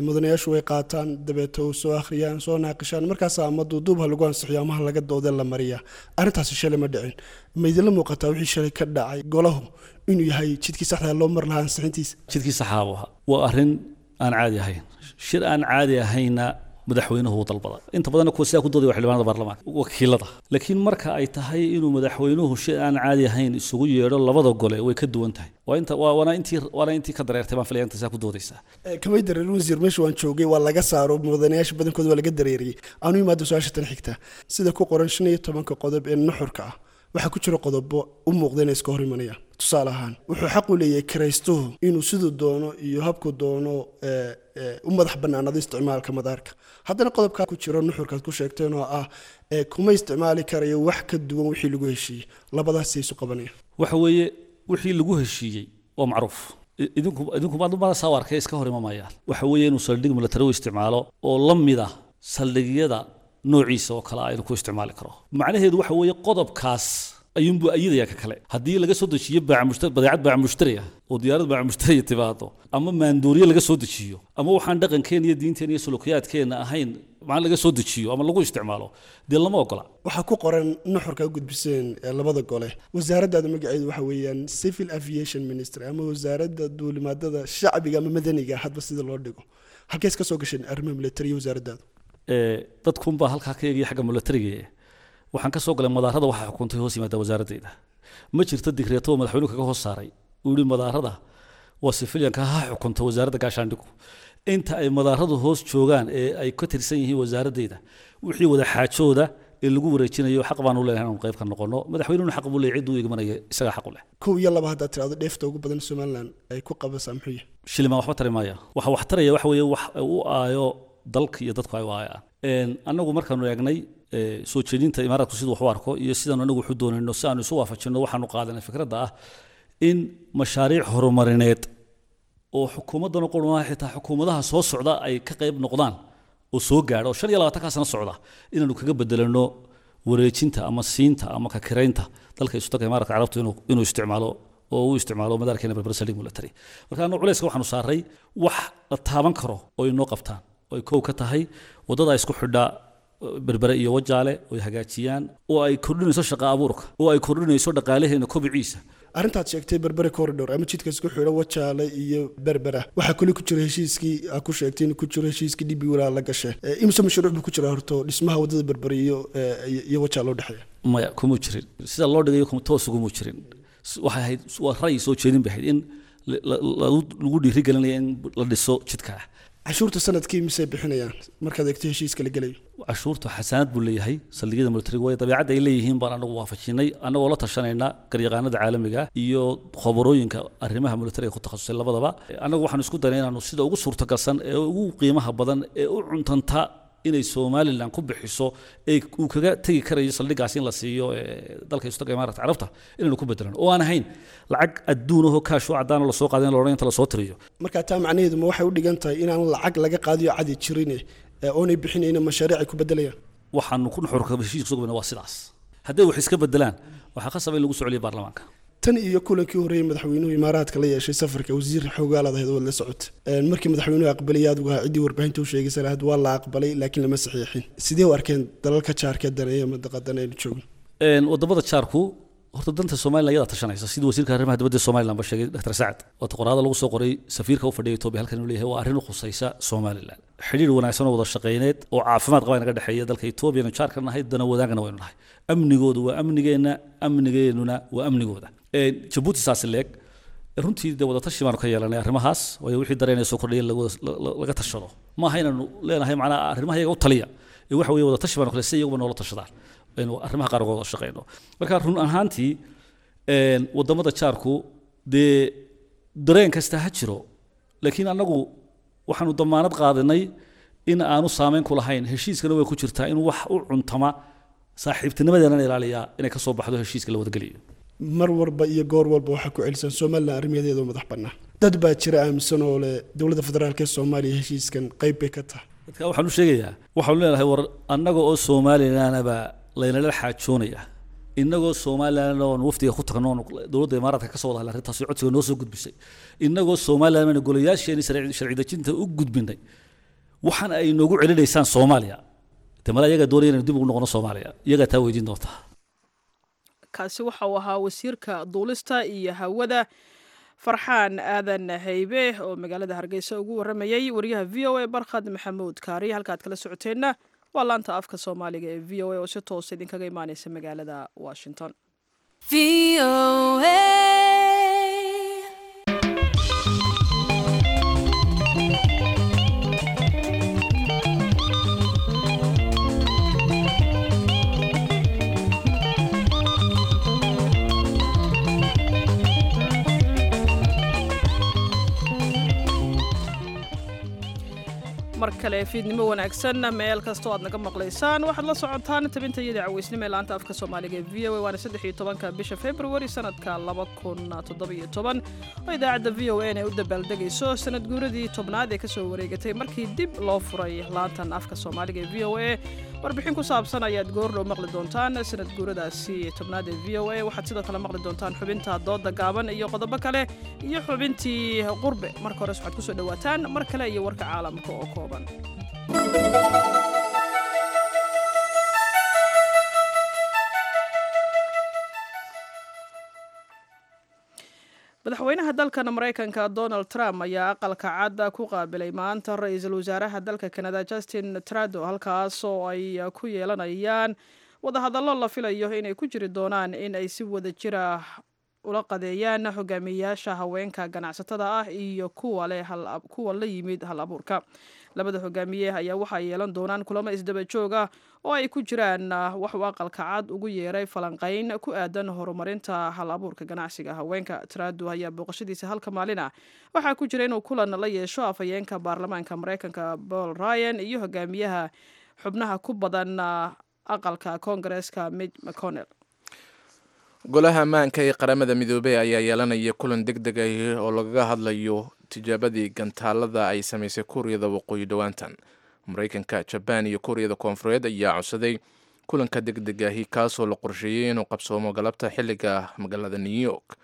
mudanayaashu way qaataan, dabeeto soo akhriyaan, soo naaqishaan, markaas ama duuduub ha lagu ansixiyo ama ha laga doodee la mariyaa. Arrintaasi shalay ma dhicin. Ma idinla muuqataa wixii shalay ka dhacay golahu inuu yahay jidkii saxda loo mar lahaa ansixintiisa? Jidkii saxaa buu ahaa. Waa arrin aan caadi ahayn, shir aan caadi ahayna madaxweynuhu uu dalbaday. Inta badanna kuwa sidaa ku doodaya waa xildhibaanada baarlamaanka wakiilada, laakiin marka ay tahay inuu madaxweynuhu shir aan caadi ahayn isugu yeedho labada gole, way ka duwan tahay. Waa inta waa waana intii waana intii ka dareertay baan filaya inta sidaa ku doodaysaa. Kamay dareerin wasiir, meesha waan joogay, waa laga saaro mudanayaasha badankooda, waa laga dareeriyey. Aanu imaado su-aasha tan xigta: sida ku qoran shan iyo tobanka qodob ee nuxurka ah, waxaa ku jira qodobo u muuqda inay iska hor imanayaan. Tusaale ahaan, wuxuu xaq u leeyahay kiraystuhu inuu siduu doono iyo habku doono u madax bannaanado isticmaalka madaarka. Haddana qodobkaa ku jiro nuxurkaad ku sheegteen oo ah kuma isticmaali karayo wax ka duwan wixii lagu heshiiyey, labadaasay isu qabanayaan? Waxa weeye, wixii lagu heshiiyey waa macruuf. idinku idinku maad saa u arkay, iska hor imamayaan. Waxa weeye inuu saldhig military u isticmaalo oo la mid ah saldhigyada noociisa oo kale ah inuu ku isticmaali karo. Macnaheedu waxa weeye qodobkaas ayuunbuu ayidaya ka kale. Haddii laga soo dejiyo badeecad baac mushtari ah oo diyaarad baac mushtariya timaado, ama maandooriye laga soo dejiyo, ama waxaan dhaqankeena iyo diinteena iyo sulukiyaadkeena ahayn macna laga soo dejiyo ama lagu isticmaalo, dee lama ogola. Waxaa ku qoran nuxurka u gudbiseen labada gole, wasaaraddaada magaceedu waxa weeyaan Civil Aviation Ministry ama Wasaaradda Duulimaadada Shacbiga ama Madaniga, hadba sida loo dhigo. Halkees ka soo gasheen arrimaha military wasaaraddaadu? Dadkunbaa halkaa ka eegaya xagga militariga. Waxaan ka soo galay madaarada waxaa xukuntay hoos yimaada wasaaradeyda. Ma jirto digreeto oo madaxweynuhu kaga hoos saaray uu yihi madaarada waa civilianka ha xukunta Wasaaradda Gaashaandhigu. Inta ay madaaradu hoos joogaan ee ay ka tirsan yihiin wasaaradeyda, wixii wada xaajooda ee lagu wareejinayo xaq baan u leenahay inaanu qayb ka noqono. Madaxweynuhuna xaq buu leeyahay, cidduu igmanaya isagaa xaq u leh. Kow iyo laba haddaad tirahdo, dheefta ugu badan Somaliland ay ku qabasaa muxuu yahay? Shilimaan waxba tari maaya. Waxa wax taraya waxa weeye wax u aayo dalka iyo dadku ay u aayaan. Annagu markaanu eegnay Soo jeedinta Imaaraadku siduu wax u arko iyo sidaanu anagu waxu doonayno si aanu isu waafajinno, waxaanu qaadanay fikradda ah in mashaariic horumarineed oo xukuumaddana qurmaha xitaa xukuumadaha soo socda ay ka qayb noqdaan oo soo gaadha oo shan iyo labaatankaa sano socda inaanu kaga bedelano wareejinta ama siinta ama ka kiraynta dalka Isutaga Imaaraadka Carabtu inuu inuu isticmaalo oo uu isticmaalo madaarkeena Berbera saldhig military. Marka anu culayska waxaanu saaray wax la taaban karo oo inoo qabtaan, oo ay kow ka tahay waddada isku xidhaa Berbere iyo Wajaale oo ay hagaajiyaan, oo ay kordhinayso shaqa abuurka, oo ay kordhinayso dhaqaalaheena kobiciisa. Arrintaad sheegtay Berbere corridor ama jidka isku xidha Wajaale iyo Berbera waxaa kale ku jira heshiiskii aa ku sheegtay inuu ku jiro heshiiskii D B walaa la gashay. Imise mashruuc buu ku jira horto dhismaha waddada Berbere iyo iyo Wajaale u dhexeeya? Maya, kuma jirin sida loo dhigayo, kuma toos uguma jirin. Waxay ahayd waa ra'yi soo jeedin bay ahayd in lagu dhiirigelinaya in la dhiso jidka. Cashuurta sanadkii misay bixinayaan markaad eegto heshiiska la gelayo? Cashuurta xasaanad buu leeyahay saldhigyada militariga, waayo dabeecadda ay leeyihiin baan anagu waafajinay, annagoo la tashanayna garyaqaanada caalamiga iyo khabarooyinka arrimaha militariga ku takhasusay labadaba. Annagu waxaanu isku daynay inaanu sida ugu suurtagalsan ee ugu qiimaha badan ee u cuntanta inay Somaliland ku bixiso ee uu kaga tagi karayo saldhigaas in la siiyo dalka Isutaga Imaaraadka Carabta inaynu ku bedelano, oo aan ahayn lacag adduun ahoo kaash oo caddaan oo lasoo qaaday in la odhan inta lasoo tiriyo. Marka taa macnaheedu ma waxay u dhigan tahay inaan lacag laga qaadiyo cadi jirin oonay bixinayna mashaariic ay ku bedelayaan? Waxaanu ku nuxurka heshiiska soo gabana waa sidaas. Hadday wax iska bedelaan waxaa khasab in lagu soo celiyo baarlamaanka. Tan iyo kulankii horreeyay madaxweynuhu Imaaraadka la yeeshay safarka wasiir xogaalaad ahayd oo la socota, markii madaxweynuhu aqbalay aad uga ciddii warbaahinta u sheegaysa lahayd waa la aqbalay laakiin lama saxiixin. Sidee u arkeen dalalka jaarka daneeya mandaqadan aynu joogno? Wadamada jaarku horta danta Somaliland iyadaa tashanaysa, sidii wasiirka arrimaha dibadda Somaliland ba sheegay Doctor Sacad. Waata qoraada lagu soo qoray safiirka u fadhiya Itoobiya halkan inuu leeyahay waa arrin u khusaysa Somaliland. Xidhiir wanaagsan oo wada shaqayneed oo caafimaad qaba inaga dhexeeya dalka Itoobiya inuu jaarka nahay, dana wadaagana waynu nahay. Amnigoodu waa amnigeenna, amnigeennuna waa amnigooda. Jabuuti saas leeg runtii dee wada tashi baanu ka yeelanay arrimahaas, waayo wixii dareenaya soo kordhaya laga tashado. Maaha inaanu leenahay macnaha arrimaha iyaga u taliya, ee waxa weeye wada tashi baanu kale si iyaguba noola tashadaan aynu arrimaha qaar uga wada shaqeyno. Marka run ahaantii wadamada jaarku dee dareen kasta ha jiro, laakiin annagu waxaanu damaanad qaadanay in aanu saameyn ku lahayn. Heshiiskana way ku jirtaa in wax u cuntama saaxiibtinimadeena ilaaliyaa inay ka soo baxdo heshiiska la wadageliyo. Mar walba iyo goor walba waxaa ku celisan Somaliland arrimaheeda oo madax bannaan. Dad baa jira aaminsan oo leh dowladda federaalka ee Soomaaliya heshiiskan qayb bay ka tahay. Dadka waxaan u sheegayaa, waxaanu leenahay war annaga oo Somalilandaba laynala xaajoonaya, innagoo Somaliland oon wafdiga ku tagno oon dowladda Imaaraadka ka soo wada hadlay arrintaasi codsiga noo soo gudbisay, innagoo Somaliland baynu golayaasheeni sharci dejinta u gudbinay, waxaan ay noogu celinaysaan Soomaaliya. Dee mala iyagaa doonaya inaynu dib ugu noqono Soomaaliya, iyagaa taa weydiin doontaa. Kaasi waxa uu ahaa wasiirka duulista iyo hawada Farxaan Aadan Haybe oo magaalada Hargeysa ugu waramayay wariyaha V O A Barkhad Maxamuud Kaari. Halkaad kala socoteenna waa laanta afka Soomaaliga ee V O A oo si toos idinkaga imaaneysa magaalada Washington. Mar kale fiidnimo wanaagsan meel kastoo aad naga maqlaysaan, waxaad la socotaan tabinta iyo dacaweysnimo ee laanta afka Soomaaliga ee V O A. Waana saddex iyo tobanka bisha February sanadka laba kun toddoba iyo toban oo idaacadda V O A ay u dabaaldegayso sanad guuradii tobnaad ee kasoo wareegatay markii dib loo furay laantan afka Soomaaliga ee V O A. Warbixin ku saabsan ayaad goordhow maqli doontaan sanad guuradaasi tobnaad ee V O A. Waxaad sidoo kale maqli doontaan xubinta dooda gaaban iyo qodobo kale iyo xubintii qurbe. Marka hores waxaad kusoo dhawaataan mar kale iyo warka caalamka oo kooban. Madaxweynaha dalkan Mareykanka Donald Trump ayaa aqalka cadda ku qaabilay maanta ra-iisul wasaaraha dalka Canada Justin Trudeau, halkaas oo ay ku yeelanayaan wadahadallo la filayo inay ku jiri doonaan in ay si wada jira ula qadeeyaan hogaamiyayaasha haweenka ganacsatada ah iyo kuwa leh kuwa la yimid hal abuurka. Labada hogaamiye ayaa waxay yeelan doonaan kulamo isdaba joog ah oo ay ku jiraan wax uu aqalka cad ugu yeeray falanqayn ku aadan horumarinta hal abuurka ganacsiga haweenka. Trudeau ayaa booqashadiisa halka maalin ah waxaa ku jira inuu kulan la yeesho afhayeenka baarlamaanka Mareykanka Paul Ryan iyo hogaamiyaha xubnaha ku badan Aqalka Koongareeska Mitch McConnell. Golaha ammaanka ee Qaramada Midoobey ayaa yeelanaya kulan deg deg ah oo lagaga hadlayo tijaabadii gantaalada ay samaysay Kuuriyada Waqooyi dhowaantan. Maraykanka, Jabaan iyo Kuuriyada Koonfureed ayaa codsaday kulanka deg deg ahi, kaasoo la qorsheeyey inuu qabsoomo galabta xilliga magaalada New York.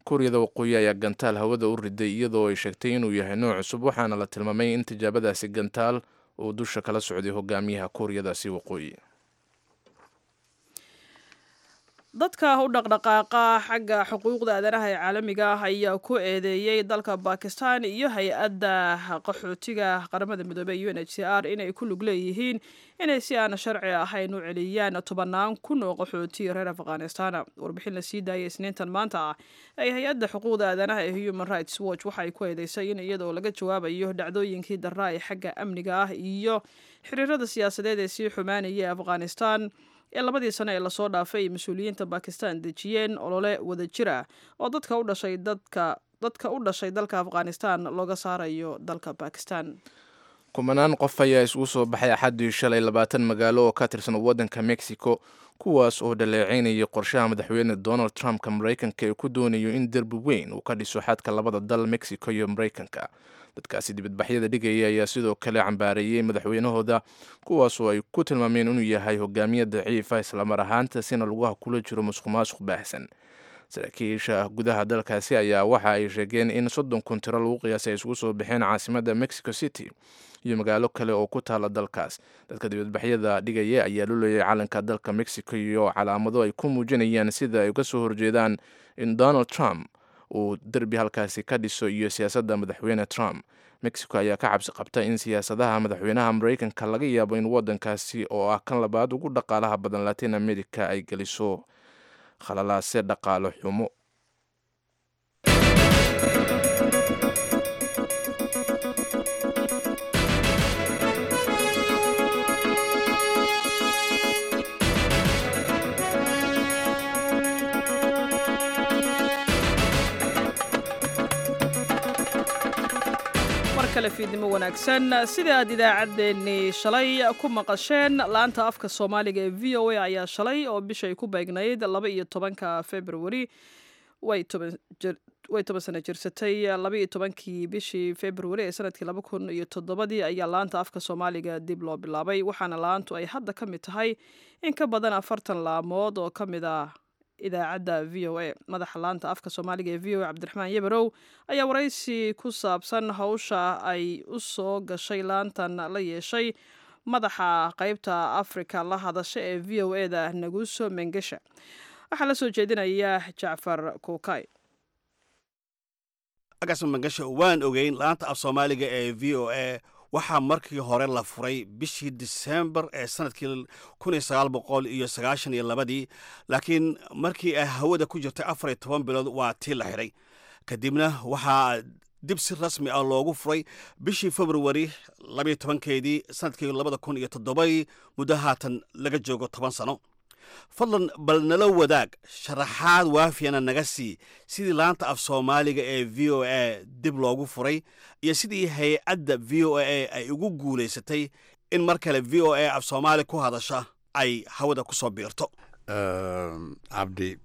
Kuuriyada Waqooyi ayaa gantaal hawada u riday iyadoo ay sheegtay inuu yahay nooc cusub, waxaana la tilmaamay in tijaabadaasi gantaal uu dusha kala socday hogaamiyaha Kuuriyadaasi Waqooyi. Dadka u dhaqdhaqaaqa xagga xuquuqda aadanaha ee caalamiga ah ayaa ku eedeeyey dalka Bakistan iyo hay-adda qaxootiga Qaramada Midoobey U N H C R inay ku lug leeyihiin inay si aan sharci ahayn u celiyaan tobannaan kun oo qaxooti reer Afghanistan. Warbixin la sii daayay Isniintan maanta ah ay hay-adda xuquuqda aadanaha ee Human Rights Watch waxay ku eedeysay in iyadoo laga jawaabayo dhacdooyinkii darraa ee xagga amniga ah iyo xiriirada siyaasadeed ee sii xumaanaya Afghanistan ee labadii sano ee lasoo dhaafay ay mas-uuliyiinta Bakistan dejiyeen olole wadajir ah oo dadka u dhashay dadka dadka u dhashay dalka Afghanistan looga saarayo dalka Bakistan. Kumanaan qof ayaa isugu soo baxay Axaddii shalay labaatan magaalo oo ka tirsan waddanka Mexico, kuwaas oo dhaleeceynayay qorshaha madaxweyne Donald Trumpka Maraykanka ee ku doonayo in derbi weyn uu ka dhiso xadka labada dal, Mexico iyo Maraykanka. Dadkaasi dibadbaxyada dhigaya ayaa sidoo kale cambaareeyey madaxweynahooda, kuwaasoo ay ku tilmaameen inuu yahay hogaamiye daciifa, islamar ahaantaasina lugaha kula jiro musuq maasuq baahsan. Saraakiisha gudaha dalkaasi ayaa waxa ay sheegeen in soddon kun tiro lagu qiyaasay ay isugu soo baxeen caasimadda Mexico City iyo magaalo kale oo ku taala dalkaas. Dadka dibadbaxyada dhigaya ayaa lulayay calanka dalka Mexico iyo calaamado ay ku muujinayaan sida ay uga soo horjeedaan in Donald Trump uu derbi halkaasi ka dhiso iyo siyaasadda madaxweyne Trump. Mexico ayaa ka cabsi qabta in siyaasadaha madaxweynaha Maraykanka laga yaabo in waddankaasi oo ah kan labaad ugu dhaqaalaha badan Latin America ay geliso khalalaase dhaqaalo xumo. Kale fiidnimo wanaagsan. Sida aad idaacaddeenii shalay ku maqasheen, laanta afka Soomaaliga ee V O A ayaa shalay oo bishay ku beegnayd laba iyo tobanka Februari way toban way toban sano jirsatay. Laba iyo tobankii bishii Februari ee sanadkii laba kun iyo toddobadii ayaa laanta afka Soomaaliga dib loo bilaabay, waxaana laantu ay hadda ka mid tahay in ka badan afartan laamood oo ka mid ah idaacadda V O A. Madaxa laanta afka Soomaaliga ee V O A, Cabdiraxmaan Yebarow, ayaa waraysi ku saabsan hawsha ay u soo gashay laantan la yeeshay madaxa qaybta Afrika la hadasha ee V O A-da, Naguso Mengesha. Waxaa la soo jeedinaya Jacfar Kuukay. Agaasma Mangasha, waan ogeyn laanta af Soomaaliga ee V O A waxaa markii hore la furay bishii Disembar ee sanadkii kun iyo sagaal boqol iyo sagaashan iyo labadii, laakiin markii ay hawada ku jirtay afar iyo toban bilood waa tii la xidhay. Kadibna waxaa dib si rasmi ah loogu furay bishii Februari labayo tobankeedii sanadkii labada kun iyo toddobadii, muddo haatan laga joogo toban sano. Fadlan bal nala wadaag sharaxaad waafiyana naga sii sidii laanta af Soomaaliga ee V O A dib loogu furay iyo sidii hay-adda V O A ay ugu guulaysatay in mar kale V O A af Soomaali ku hadasha ay hawada ku soo biirto. Um, Abdi,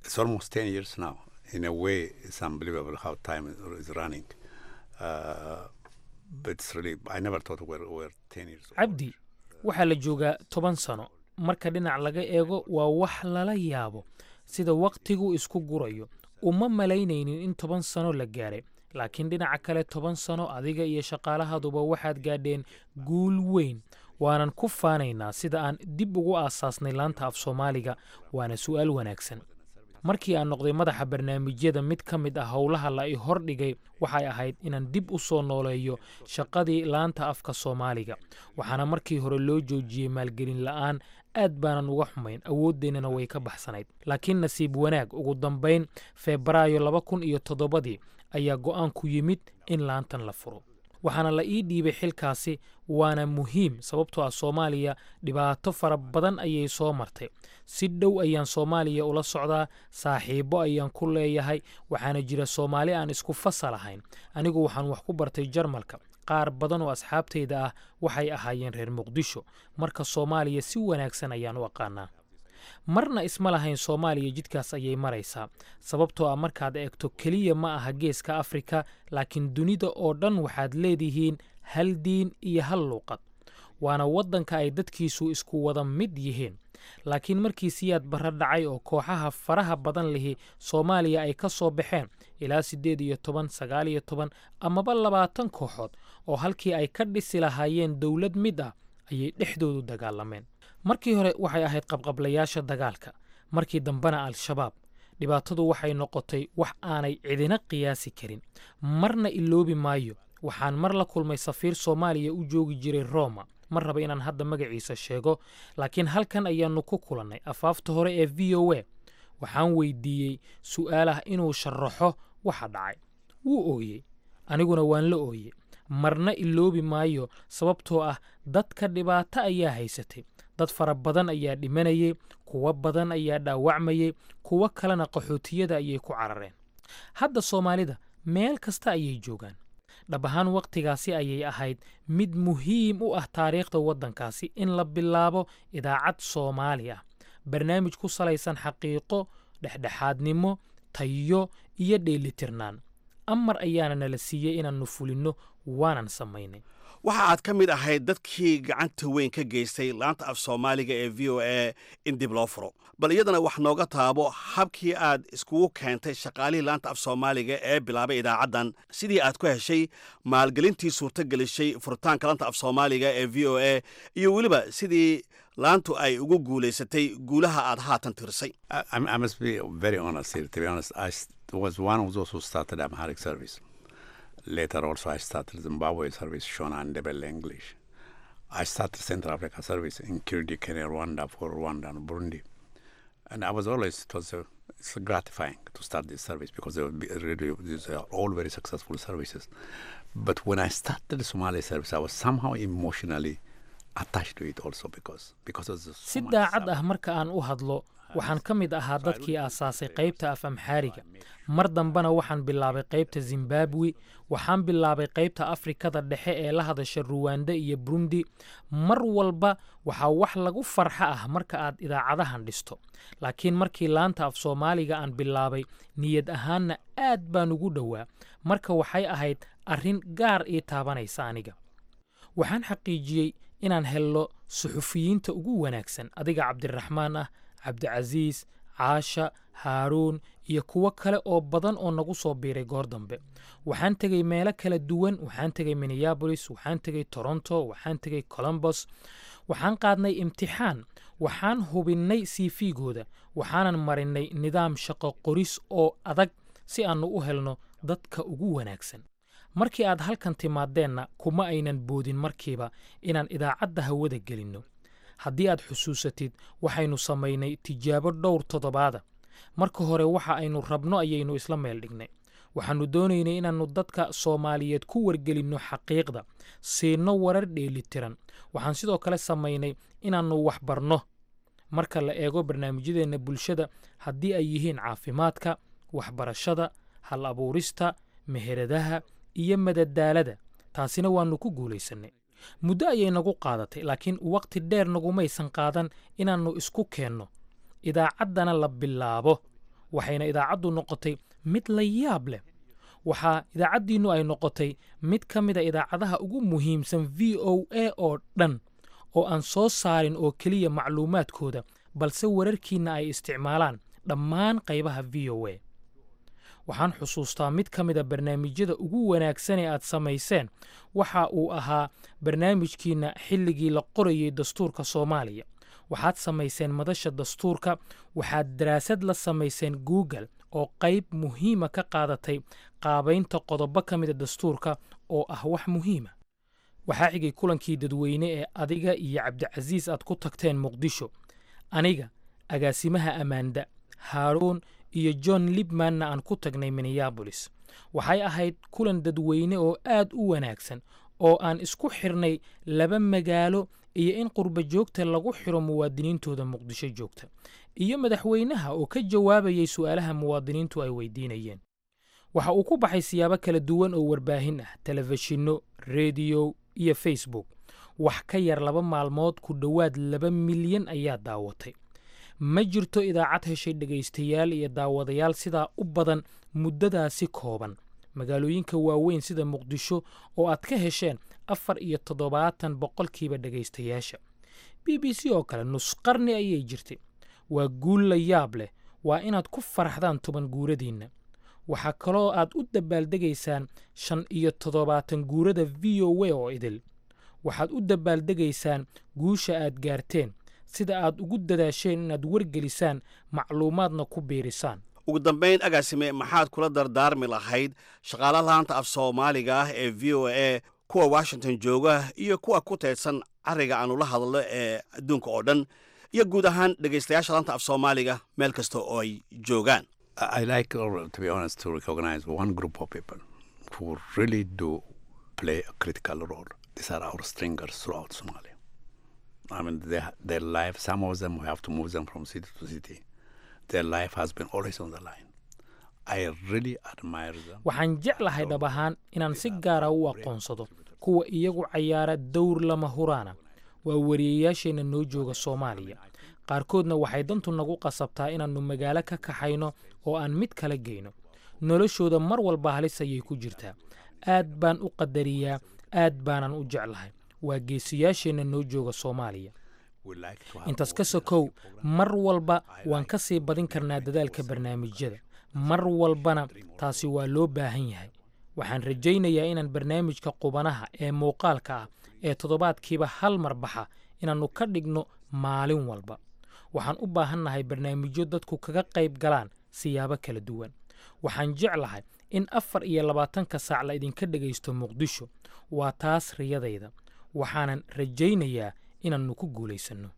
it's almost ten years now. In a way, it's unbelievable how time is running. Uh, but it's really, I never thought we're, we're ten years old. Cabdi, waxaa la joogaa toban sano. Marka dhinac laga eego waa wax lala yaabo sida wakhtigu isku gurayo. Uma malaynaynin in toban sano la gaaray, laakiin dhinaca kale toban sano adiga iyo shaqaalahaduba waxaad gaadheen guul weyn, waanan ku faanaynaa sida aan dib ugu aasaasnay laanta af Soomaaliga. Waana su'aal wanaagsan. Markii aan noqday madaxa barnaamijyada, mid ka mid ah howlaha la i hordhigay waxay ahayd inaan dib u soo nooleeyo shaqadii laanta afka Soomaaliga, waxaana markii hore loo joojiyey maalgelin la'aan. Aad baanan uga xumayn, awooddeennana way ka baxsanayd, laakiin nasiib wanaag ugu dambayn Febraayo laba kun iyo toddobadii ayaa go'aanku yimid in laantan la furo, waxaana la ii dhiibay xilkaasi. Waana muhiim sababtoo ah Soomaaliya dhibaato fara badan ayay soo martay. Si dhow ayaan Soomaaliya ula socdaa, saaxiibbo ayaan ku leeyahay, waxaana jira Soomaali aan isku fasal ahayn. Anigu waxaan wax ku bartay Jarmalka, Qaar badan oo asxaabtayda ah waxay ahaayeen reer Muqdisho, marka Soomaaliya si wanaagsan ayaan u aqaanaa. Marna isma lahayn Soomaaliya jidkaas ayay maraysaa, sababtoo ah markaad eegto keliya ma aha Geeska Afrika, laakiin dunida oo dhan waxaad leedihiin hal diin iyo hal luuqad, waana waddanka ay dadkiisu isku wada mid yihiin. Laakiin markii Siyaad Barre dhacay oo kooxaha faraha badan lihi Soomaaliya ay ka soo baxeen, ilaa siddeed iyo toban, sagaal iyo toban amaba labaatan kooxood, oo halkii ay ka dhisi lahaayeen dowlad mid ah ayay dhexdoodu dagaalameen. Markii hore waxay ahayd qabqablayaasha dagaalka, markii dambena Al-Shabaab. Dhibaatadu waxay noqotay wax aanay cidina qiyaasi karin. Marna iloobi maayo, waxaan mar la kulmay safiir Soomaaliya u joogi jiray Roma. Ma raba inaan hadda magaciisa sheego, laakiin halkan ayaannu ku kulannay afaafta hore ee V O A. Waxaan weydiiyey su'aal ah inuu sharaxo waxa dhacay. Wuu ooyey, aniguna waan la ooyey. Marna iloobi maayo, sababtoo ah dadka dhibaato ayaa haysatay. Dad fara badan ayaa dhimanayay, kuwo badan ayaa dhaawacmayay, kuwo kalena qaxootiyada ayay ku carareen. Hadda Soomaalida meel kasta ayay joogaan. Dhab ahaan wakhtigaasi ayay ahayd mid muhiim u ah taariikhda waddankaasi in la bilaabo idaacad Soomaali ah, barnaamij ku salaysan xaqiiqo, dhexdhexaadnimo, tayo iyo dheelitirnaan. Amar ayaana nala siiyey inaannu fulinno, waanan samaynay. Waxa aad ka mid ahayd dadkii gacanta weyn ka geystay laanta af Soomaaliga ee V O A in dib loo furo. Bal iyadana wax nooga taabo habkii aad iskugu keentay shaqaalihii laanta af Soomaaliga ee bilaabay idaacaddan, sidii aad ku heshay maalgelintii suurtagelishay furitaanka laanta af Soomaaliga ee V O A, iyo weliba sidii laantu ay ugu guulaysatay guulaha aad haatan tirisay. I, I must be very honest here. To be honest, I was one of those who started Amharic service. Later also I started Zimbabwe service, Shona and Ndebele English. I started Central Africa service in Kirundi, Kenya, Rwanda for Rwanda and Burundi. And I was always, it was a, it's gratifying to start this service because they were really, these are all very successful services. But when I started the Somali service, I was somehow emotionally attached to it also because, because of the Si daacad ah marka aan u hadlo, waxaan ka mid ahaa dadkii aasaasay qaybta af Amxaariga. Mar dambena waxaan bilaabay qaybta Zimbabwe, waxaan bilaabay qaybta Afrikada Dhexe ee la hadasha Ruwanda iyo Burundi. Mar walba waxaa wax lagu farxa ah marka aad idaacadahan dhisto. Laakiin markii laanta af Soomaaliga aan bilaabay, niyad ahaanna aad baan ugu dhowaa. Marka waxay ahayd arrin gaar ii taabanaysa aniga. Waxaan xaqiijiyey inaan helno suxufiyiinta ugu wanaagsan, adiga Cabdiraxmaan ah, Cabdicasiis, Caasha, Haaruun iyo kuwo kale oo badan oo nagu soo biiray goor dambe. Waxaan tegey meelo kala duwan, waxaan tegey Minneapolis, waxaan tegey Toronto, waxaan tegey Columbus. Waxaan qaadnay imtixaan, waxaan hubinnay C V-gooda, waxaanan marinnay nidaam shaqo qoris oo adag si aannu u helno dadka ugu wanaagsan. Markii aad halkan timaadeenna kuma aynan boodin markiiba inaan idaacadda hawada gelinno. Haddii aad xusuusatid, waxaynu samaynay tijaabo dhowr toddobaada. Marka hore waxa aynu rabno ayaynu isla meel dhignay. Waxaannu doonaynay inaannu dadka Soomaaliyeed ku wargelinno xaqiiqda, siinno warar dheelitiran. Waxaan sidoo kale samaynay inaannu wax barno. Marka la eego barnaamijyadeenna bulshada, haddii ay yihiin caafimaadka, waxbarashada, hal abuurista, meheradaha iyo madadaalada, taasina waannu ku guulaysannay. Muddo ayay nagu qaadatay, laakiin waqti dheer nagumaysan qaadan inaannu isku keenno, idaacaddana la bilaabo. Waxayna idaacaddu noqotay mid la yaab leh. Waxaa idaacaddiinnu ay noqotay mid ka mid a idaacadaha ugu muhiimsan V O A oo dhan, oo aan soo saarin oo keliya macluumaadkooda, balse wararkiinna ay isticmaalaan dhammaan qaybaha V O A. Waxaan xusuustaa mid ka mid a barnaamijyada ugu wanaagsan ee aad samayseen. Waxa uu ahaa barnaamijkiinna xilligii la qorayay dastuurka Soomaaliya. Waxaad samayseen madasha dastuurka, waxaad daraasad la samayseen Google oo qayb muhiima ka qaadatay qaabaynta qodobo ka mid a dastuurka oo ah wax muhiima. Waxaa xigay kulankii dadweyne ee adiga iyo Cabdicasiis aad ku tagteen Muqdisho. Aniga, agaasimaha Amanda, Haaruun iyo John Lipmanna aan ku tagnay Minneapolis. Waxay ahayd kulan dadweyne oo aad u wanaagsan oo aan isku xirnay laba magaalo iyo in qurba joogta lagu xiro muwaadiniintooda Muqdisho joogta, iyo madaxweynaha oo ka jawaabayay su'aalaha muwaadiniintu ay weydiinayeen. Waxa uu ku baxay siyaabo kala duwan oo warbaahin ah, telefishinno, rediyo iyo Facebook. Wax ka yar laba maalmood ku dhowaad laba milyan ayaa daawatay. Ma jirto idaacad heshay dhegaystayaal iyo daawadayaal sidaa u badan muddadaasi kooban. Magaalooyinka waaweyn sida Muqdisho oo aad ka hesheen afar iyo toddobaatan boqolkiiba dhegaystayaasha. B B C oo kale nus qarni ayay jirtay. Waa guul la yaab leh, waa inaad ku faraxdaan toban guuradiinna. Waxaa kaloo aad u dabaaldegaysaan shan iyo toddobaatan guurada V O A oo idil. Waxaad u dabaaldegaysaan guusha aad gaarteen, sida aad ugu dadaasheen inaad wargelisaan, macluumaadna ku biirisaan. Ugu dambayn, agaasime, maxaad kula dardaarmi lahayd shaqaalaha laanta af Soomaaliga ah ee V O A, kuwa Washington jooga iyo kuwa ku teedsan cariga aanu la hadlo ee adduunka oo dhan, iyo guud ahaan dhegaystayaasha laanta af Soomaaliga meel kasta oo ay joogaan? I like, to be honest, to recognize one group of people who really do play a critical role. These are our stringers throughout Somalia. I mean, they, their life, some of them we have to move them from city to city. Their life has been always on the line. I really admire them. Waxaan jeclahay dhab ahaan inaan si gaara u aqoonsado kuwa iyagu cayaara dowr lama huraana. Waa wariyeyaasheenna noo jooga Soomaaliya. Qaarkoodna waxay dantu nagu qasabtaa inaannu magaalo ka kaxayno oo aan mid kala geyno. Noloshooda mar walba halis ayay ku jirtaa. Aad baan u qadariyaa, aad baanan u jeclahay. Waa geesiyaasheenna noo jooga Soomaaliya. Intaas ka sokow, mar walba waan ka sii badin karnaa dadaalka barnaamijyada. Mar walbana taasi waa loo baahan yahay. Waxaan rajaynayaa inaan barnaamijka qubanaha ee muuqaalka ah ee toddobaadkiiba hal mar baxa inaannu ka dhigno maalin walba. Waxaan u baahannahay barnaamijyo dadku kaga qayb galaan siyaabo kala duwan. Waxaan jeclahay in afar iyo labaatanka saac la idinka dhegaysto Muqdisho. Waa taas riyadayda. Waxaanan rajaynayaa inaannu ku guulaysanno.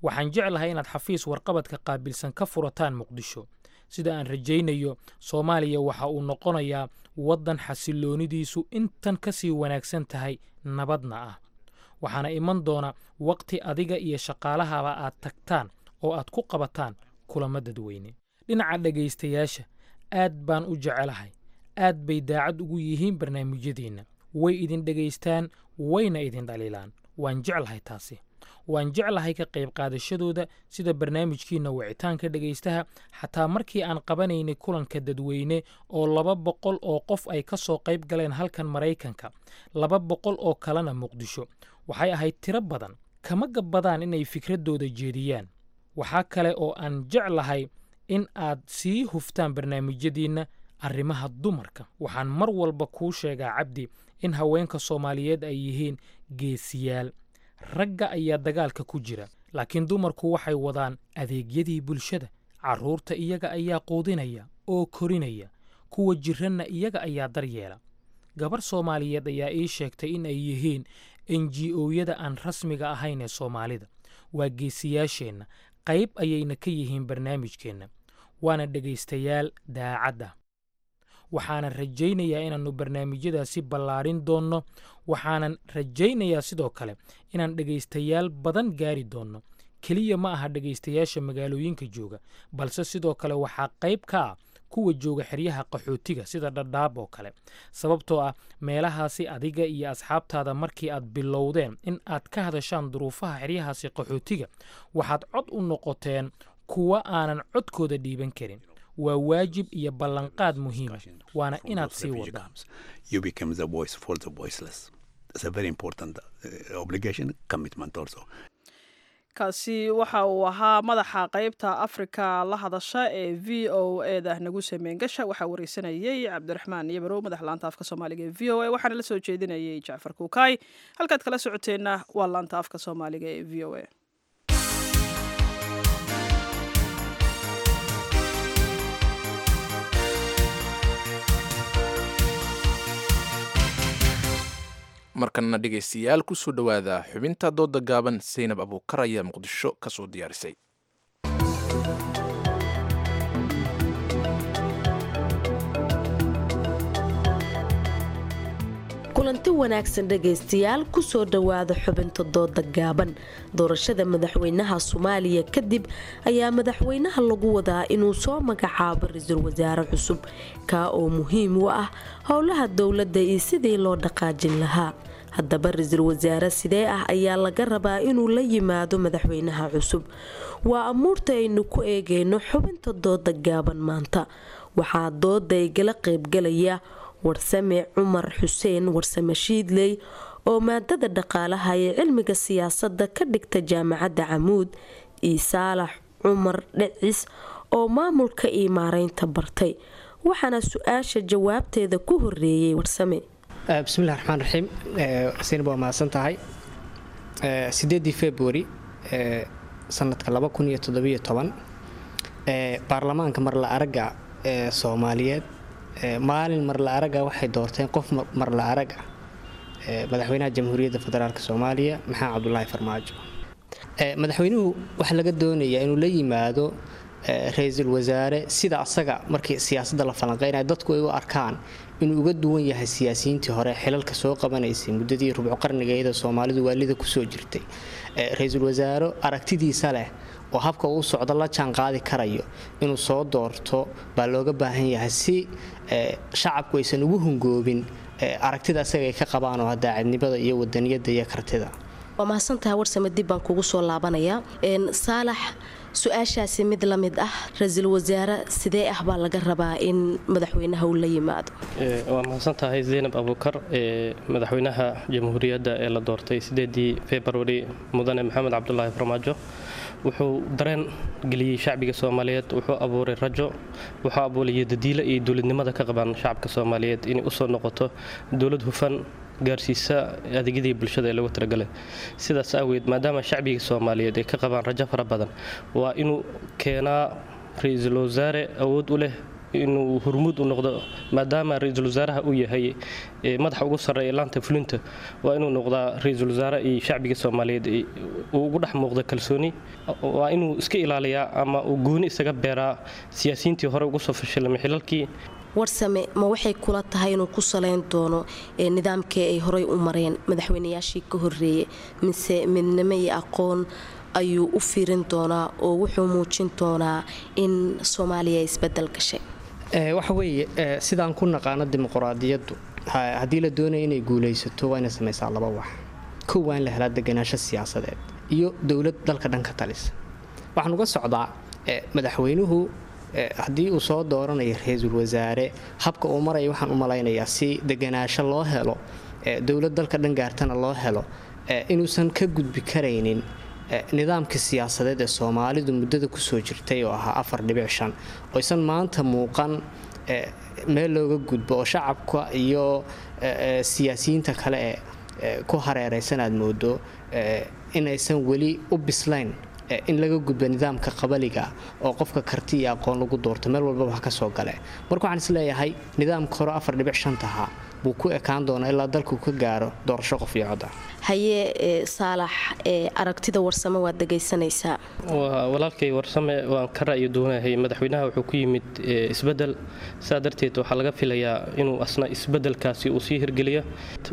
Waxaan jeclahay inaad xafiis warqabadka qaabilsan ka furataan Muqdisho. Sida aan rajaynayo, Soomaaliya waxa uu noqonayaa waddan xasilloonidiisu intan ka sii wanaagsan tahay, nabadna ah. Waxaana iman doona waqti adiga iyo shaqaalahaba aad tagtaan oo aad ku qabataan kulamo dadweyne. Dhinaca dhegaystayaasha, aad baan u jecelahay. Aad bay daacad ugu yihiin barnaamijyadiinna. Way idin dhegaystaan, wayna idin dhaliilaan. Waan jeclahay taasi. Waan jeclahay ka qayb qaadashadooda sida barnaamijkiina wicitaanka dhegaystaha, xataa markii aan qabanaynay kulanka dadweyne oo laba boqol oo qof ay ka soo qayb galeen halkan Maraykanka, laba boqol oo kalena Muqdisho. Waxay ahayd tiro badan. Kama gabbadaan inay fikradooda jeediyaan. Waxaa kale oo aan jeclahay in aad sii huftaan barnaamijyadiinna arrimaha dumarka. Waxaan mar walba kuu sheegaa, Cabdi, in haweenka Soomaaliyeed ay yihiin geesiyaal. Ragga ayaa dagaalka ku jira, laakiin dumarku waxay wadaan adeegyadii bulshada. Carruurta iyaga ayaa quudinaya oo korinaya, kuwa jiranna iyaga ayaa daryeela. Gabar Soomaaliyeed ayaa ii sheegtay in ay yihiin N G O-yada aan rasmiga ahayn ee Soomaalida. Waa geesiyaasheenna, qayb ayayna ka yihiin barnaamijkeenna, waana dhegaystayaal daacadda. Waxaanan rajaynayaa inaannu barnaamijyadaasi ballaarin doonno. Waxaanan rajaynayaa sidoo kale inaan dhegaystayaal badan gaari doonno. Keliya ma aha dhegaystayaasha magaalooyinka jooga, balse sidoo kale waxaa qayb ka ah kuwa jooga xeryaha qaxootiga sida Dhadhaab oo kale. Sababtoo ah meelahaasi adiga iyo asxaabtaada markii aad bilowdeen in aad ka hadashaan duruufaha xeryahaasi qaxootiga, waxaad cod u noqoteen kuwa aanan codkooda dhiiban karin. Waa waajib iyo ballanqaad muhiim ah, waana inaad sii wadaan. You become the voice for the voiceless. It's a very important, uh, obligation, commitment also. Kaasi waxa uu ahaa madaxa qaybta Afrika la hadasha ee V O A-da nagu sameyn gasha. Waxaa wareysanayay Cabdiraxmaan Yabarow, madaxa laanta afka Soomaaliga ee V O A, waxaana la soo jeedinayay Jacfar Kuukay. Halkaad kala socoteenna waa laanta afka Soomaaliga ee V O A. Markana dhegaystayaal ku soo dhawaada xubinta dooda gaaban. Zaynab Abuukar ayaa Muqdisho ka soo diyaarisay. Kulanti Kulanti wanaagsan dhegaystayaal, kusoo dhowaada xubinta dooda gaaban. Doorashada madaxweynaha Soomaaliya kadib ayaa madaxweynaha lagu wadaa inuu soo magacaabo ra-iisul wasaare cusub, kaa oo muhiim u ah howlaha dowladda iyo sidii loo dhaqaajin lahaa. Haddaba ra-iisul wasaare sidee ah ayaa laga rabaa inuu la yimaado madaxweynaha cusub? Waa amuurta aynu ku eegeyno xubinta dooda gaaban maanta. Waxaa dooda igala qaybgalaya Warsame Cumar Xuseen Warsame Shiidley oo maadada dhaqaalaha ee cilmiga siyaasadda ka dhigta Jaamacadda Camuud, iyo Saalax Cumar Dhicis oo maamulka iyo maareynta bartay. Waxaana su-aasha jawaabteeda ku horeeyay Warsame. Bismillahi raxmaan raxiim. Sinab, waa mahadsan tahay. Sideedii February sanadka laba kun iyo toddobiyo toban, baarlamaanka marla aragga ee Soomaaliyeed maalin marla aragga waxay doorteen qof marla arag ah, madaxweynaha Jamhuuriyadda Federaalk Soomaaliya, Maxamed Cabdulaahi Farmaajo. Madaxweynuhu waxaa laga doonayaa inuu la yimaado ra-iisul wasaare sida asaga markii siyaasadda la falanqeynaya dadku ay u arkaan inuu uga duwan yahay siyaasiyiintii hore xilalka soo qabanaysay muddadii rubco qarnigeeda Soomaalidu waalida kusoo jirtay. Ra-iisul wasaare aragtidiisa leh oo habka uu socdo la jaan qaadi karayo inuu soo doorto baa looga baahan yahay, si shacabku aysan ugu hungoobin aragtida asaga ay ka qabaan oo daacadnimada iyo wadaniyada iyo kartida. Waa mahadsantahay Warsame, dib baan kugu soo laabanayaa. Saalax, su-aashaasi mid la mid ah, ra-iisul wasaare sidee ah baa laga rabaa in madaxweynaha uu la yimaado? Waa mahadsan tahay Zaynab Abuukar. Madaxweynaha Jamhuuriyadda ee la doortay sideedii February, Mudane Maxamed Cabdulaahi Farmaajo, wuxuu dareen geliyey shacbiga Soomaaliyeed, wuxuu abuuray rajo, wuxuu abuuray dadiila iyo dowladnimada ka qabaan shacabka Soomaaliyeed inay usoo noqoto dowlad hufan, gaarsiisa adeegyadii bulshada ee loogu talagalay. Sidaas aaweed, maadaama shacbiga Soomaaliyeed ay ka qabaan rajo fara badan, waa inuu keenaa ra-iisul wasaare awood u leh inuu hormuud u noqdo. Maadaama ra-iisul wasaaraha uu yahay madaxa ugu sarreeya laanta fulinta, waa inuu noqdaa ra-iisul wasaare iyo shacbiga Soomaaliyeed uu ugu dhex muuqdo kalsooni. Waa inuu iska ilaaliyaa ama uu gooni isaga beeraa siyaasiyiintii hore ugu soo fashilmay xilalkii. Warsame, ma waxay kula tahay inuu ku salayn doono nidaamkii ay horey u mareen madaxweynayaashii ka horeeyey, mise midnimo iyo aqoon ayuu u fiirin doonaa oo wuxuu muujin doonaa in Soomaaliya ay isbedel gashay? Waxa weeye, sidaan ku naqaano dimuquraadiyaddu, haddii la doonayo inay guulaysato, waa inay samaysaa laba wax. Kow, waa in la helaa deganaansho siyaasadeed iyo dowlad dalka dhan ka talisa. Waxaan uga socdaa, madaxweynuhu haddii uu soo dooranayo ra-iisul wasaare, habka uu maraya waxaan u malaynayaa si deganaasho loo helo, dowlad dalka dhan gaartana loo helo, inuusan ka gudbi karaynin nidaamka siyaasadeed ee Soomaalidu muddada kusoo jirtay oo ahaa afar dhibic shan, oysan maanta muuqan meel looga gudbo, oo shacabka iyo siyaasiyiinta kale ee ku hareeraysan aad moodo inaysan weli u bislayn in laga gudbo nidaamka qabaliga oo qofka karti iyo aqoon lagu doorto meel walbaba ha kasoo gale. Marka waxaan isleeyahay nidaamka hore afar dhibic shantaha buu ku ekaan doonaa ilaa dalku ka gaaro doorasho qof iyo cod ah. Haye Saalax, aragtida Warsame waad dhegaysanaysaa. Walaalkay Warsame waan ka ra'yi doonahay. Madaxweynaha wuxuu ku yimid isbedel, saa darteed waxaa laga filayaa inuu asna isbedelkaasi uu sii hirgeliyo.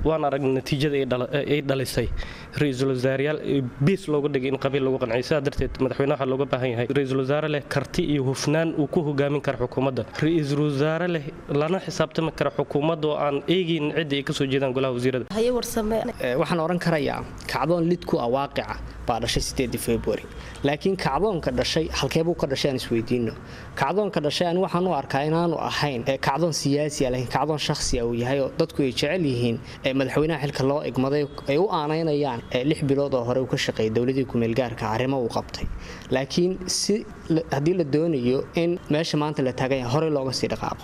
Waan aragnay natiijada ay dhalisay ra-iisul wasaareyaal biis looga dhigay in qabiil lagu qanciyo. Sidaa darteed madaxweynaha waxaa looga baahan yahay ra-iisul wasaare leh karti iyo hufnaan uu ku hogaamin kara xukuumadda, ra-iisul wasaare leh lana xisaabtami kara xukuumadda oo aan eegaynin cidda ay kasoo jeedaan golaha wasiirada. Haye Warsame. Waxaan oran karayaa kacdoon lid ku ah waaqica baa dhashay sideedii February, laakiin kacdoonka dhashay halkeebuu ka dhashay aan isweydiino. Kacdoonka dhashay ani waxaan u arkaa inaanu ahayn kacdoon siyaasi ah, laakiin kacdoon shakhsi ah uu yahay, oo dadku ay jecel yihiin madaxweynaha xilka loo igmaday, ay u aanaynayaan lix bilood oo hore uu ka shaqeeyay dowladii kumeelgaarka arrimo uu qabtay. Laakiin si haddii la doonayo in meesha maanta la taagan yahay horey looga sii dhaqaaqo,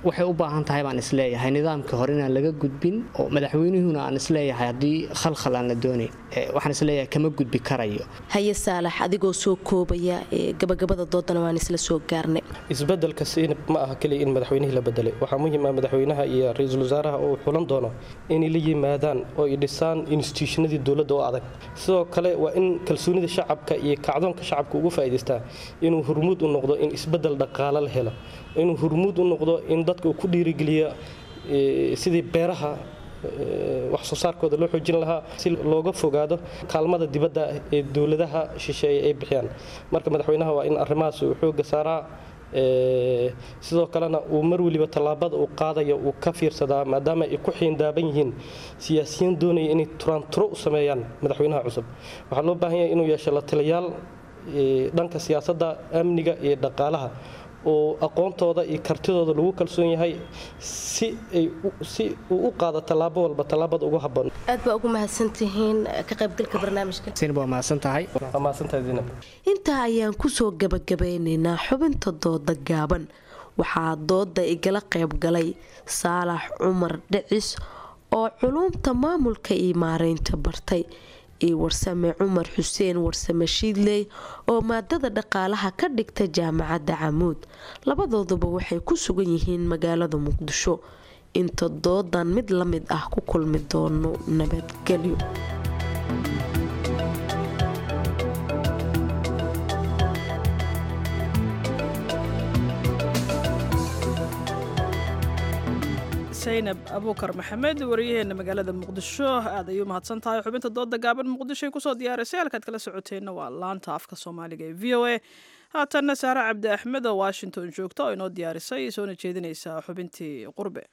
waxay u baahan tahay baan isleeyahay nidaamkii hore inaan laga gudbin, oo madaxweynuhuna aan isleeyahay haddii khalkhal aan la doonayn, waxaan isleeyahay kama gudbi karayo. Haye Saalax, adigoo soo koobaya, gabagabada doodana waan isla soo gaarnay. Isbedelka siinab ma aha keliya in madaxweynihii la bedelay. Waxaa muhiim ah madaxweynaha iyo ra-iisul wasaaraha oo xulan doono inay la yimaadaan oo ay dhisaan institutionadii dowladda oo adag. Sidoo kale waa in kalsoonida shacabka iyo kacdoonka shacabka ugu faa'iidaystaa inuu hormuud u noqdo in isbedel dhaqaale la helo, inuu hormuud u noqdo in dadka uu ku dhiirigeliyo sidii beeraha wax soo saarkooda loo xoojin lahaa, si looga fogaado kaalmada dibadda ee dowladaha shisheeye ay bixiyaan. Marka madaxweynaha waa in arrimahaas uu xoogga saaraa, sidoo kalena uu mar weliba tallaabada uu qaadayo uu ka fiirsadaa, maadaama ay ku xiindaaban yihiin siyaasiyiin doonaya inay turaanturo u sameeyaan madaxweynaha cusub. Waxaa loo baahan yahay inuu yeesho la taliyaal dhanka siyaasadda, amniga iyo dhaqaalaha oo aqoontooda iyo kartidooda lagu kalsoon yahay, si ay si uu u qaado tallaabo walba tallaabada ugu habboon. Aad baa ugu mahadsantihiin ka qaybgalka barnaamijka. Zainab, waa mahadsan tahay. Waa mahadsantahay Zainab. Intaa ayaan kusoo gabagabeynaynaa xubinta dooda gaaban. Waxaa dooda igala qayb galay Saalax Cumar Dhicis oo culuumta maamulka iyo maareynta bartay, iyo Warsame Cumar Xuseen Warsame Shiidley oo maadada dhaqaalaha ka dhigta jaamacadda Camuud. Labadooduba waxay ku sugan yihiin magaalada Muqdisho. Inta doodan mid la mid ah ku kulmi doono, nabadgelyo. Zaynab Abuukar Maxamed, wariyaheena magaalada Muqdisho, aad ayuu mahadsan tahay. Xubinta dooda gaaban Muqdisho ay kusoo diyaarisay. Halkaad kala socoteenna waa laanta afka Soomaaliga ee V O A. Haatanna Saare Cabdi Axmed oo Washington joogta oo inoo diyaarisay soona jeedinaysaa xubintii qurbe.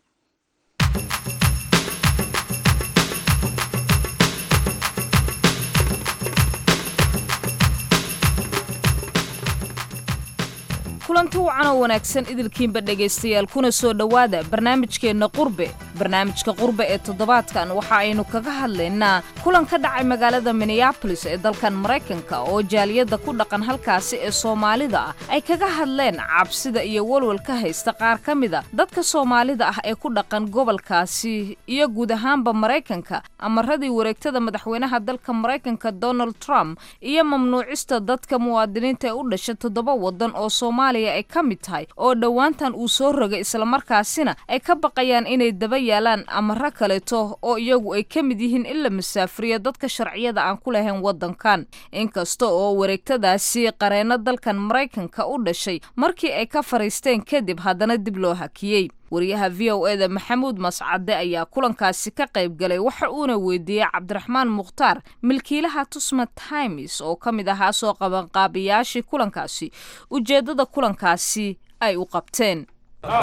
Kulanti wacan oo wanaagsan idilkiinba dhegaystayaal, kuna soo dhowaada barnaamijkeenna qurbe. Barnaamijka qurbe ee toddobaadkan waxa aynu kaga hadlaynaa kulan ka dhacay magaalada Minneapolis ee dalkan Maraykanka oo jaaliyadda ku dhaqan halkaasi ee Soomaalida ah ay kaga hadleen cabsida iyo walwal ka haysta qaar ka mida dadka Soomaalida ah ee ku dhaqan gobolkaasi iyo guud ahaanba Maraykanka amaradii wareegtada madaxweynaha dalka Maraykanka Donald Trump iyo mamnuucista dadka muwaadiniinta ee u dhasha toddoba waddan oo Soomaaliya ay ka mid tahay oo dhowaantan uu soo rogay, islamarkaasina ay ka baqayaan inay daba yaalaan amaro kaleeto oo iyagu ay ka mid yihiin in la masaafriyo dadka sharciyada aan ku lahayn waddankan. Inkasta oo wareegtadaasi qareenno dalkan Maraykanka u dhashay markii ay ka fariisteen kadib haddana dib loo hakiyey. Wariyaha V O E da Maxamuud Mascade ayaa kulankaasi ka qayb galay, waxa uuna weydiiyey Cabdiraxmaan Mukhtaar, milkiilaha Tusma Times oo ka mid ahaa soo qabanqaabiyaashii kulankaasi, ujeeddada kulankaasi ay u qabteen.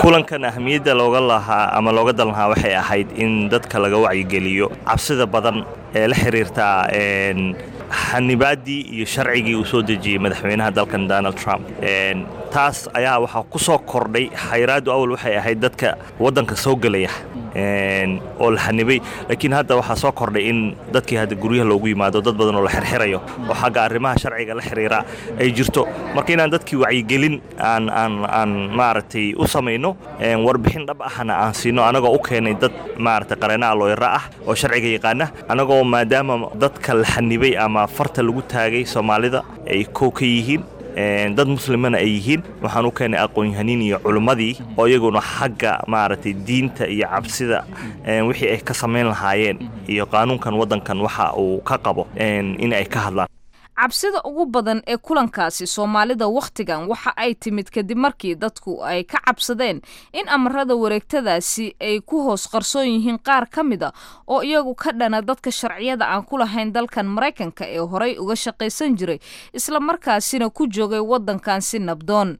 Kulankan ahmiyadda looga lahaa ama looga dan lahaa waxay ahayd in dadka laga wacyigeliyo cabsida badan ee la xiriirta xanibaaddii iyo sharcigii uu soo dejiyey madaxweynaha dalkan Donald Trump. Taas ayaa waxaa ku soo kordhay xayraaddu. Awal waxay ahayd dadka waddanka soo gelaya oo la xanibay, laakiin hadda waxaa soo kordhay in dadkii hadda guryaha loogu yimaado, dad badan oo la xirxirayo oo xagga arrimaha sharciga la xiriira ay jirto. Marka inaan dadkii wacyigelin aan aan aan maaragtay u samayno, warbixin dhab ahna aan siino, anagoo u keenay dad maaragtay qareenaha looyara ah oo sharciga yaqaana, anagoo maadaama dadka la xanibay ama farta lagu taagay Soomaalida ay kow ka yihiin, dad muslimana ay yihiin, waxaan u keenay aqoon-yahaniin iyo culimmadii oo iyaguna xagga maaragtay diinta iyo cabsida wixii ay ka samayn lahaayeen iyo qaanuunkan waddankan waxa uu ka qabo in ay ka hadlaan. Cabsida ugu badan ee kulankaasi Soomaalida wakhtigan waxa ay timid kadib markii dadku ay ka cabsadeen in amarada wareegtadaasi ay ku hoos qarsoon yihiin qaar ka mida oo iyagu ka dhana dadka sharciyada aan ku lahayn dalkan Maraykanka ee horey uga shaqaysan jiray islamarkaasina ku joogay waddankan si nabdoon.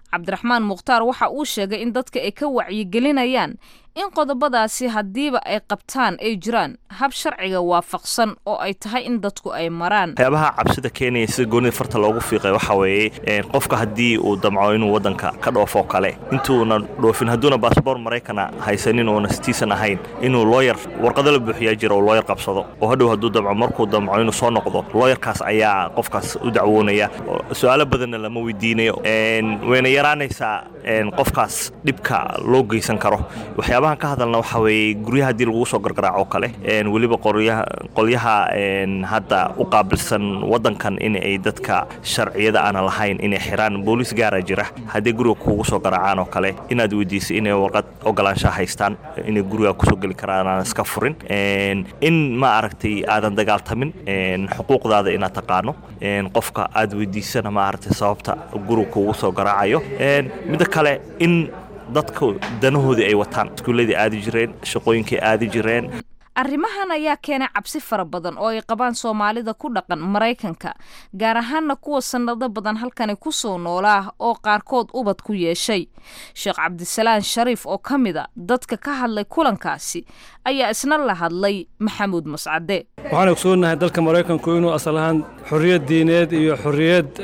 Cabdiraxmaan Mukhtaar waxa uu sheegay in dadka ay ka wacyigelinayaan in qodobadaasi haddiiba ay qabtaan ay jiraan hab sharciga waafaqsan oo ay tahay in dadku ay maraan. Waxyaabaha cabsida keenaya sida goonida farta loogu fiiqay waxaa weeye qofka haddii uu damco inuu waddanka ka dhoofo kale, intuuna dhoofin, hadduuna baasboor Maraykana haysanin oona sitiisan ahayn, inuu looyar warqado la buuxiyaa jira oo looyar qabsado, oo hadhow hadduu damco markuu damco inuu soo noqdo, looyarkaas ayaa qofkaas u dacwoonaya, su-aalo badanna lama weydiinayo, wayna yaraanaysaa qofkaas dhibka loo geysan karo. Waxyaabaha ka hadalna waxaa weeye guryaha haddii lagugu soo gargaraaco kale, weliba qoryaha qolyaha hadda u qaabilsan waddankan in ay dadka sharciyada aana lahayn inay xiraan, booliis gaara jira, haddii guriga kugu soo garaacaan oo kale inaad weydiiso inay warqad ogolaanshaha haystaan inay guriga kusoo geli karaan, aan iska furin, in ma aragtay aadan dagaaltamin, xuquuqdaada inaad taqaano, qofka aad weydiisana ma aragtay sababta guriga kugu soo garaacayo. Midda kale in Dadku danahoodii ay wataan, iskuulladii aadi jireen, shaqooyinkay aadi jireen. Arrimahan ayaa keenay cabsi fara badan oo ay qabaan Soomaalida ku dhaqan Maraykanka, gaar ahaanna kuwa sannado badan halkani ku soo noolaa oo qaarkood ubad ku yeeshay. Sheekh Cabdisalaan Shariif oo ka mid a dadka ka hadlay kulankaasi ayaa isna la hadlay Maxamuud Mascade. Waxaan ogsoonahay dalka Maraykanku inuu asal ahaan xorriyad diineed iyo xorriyad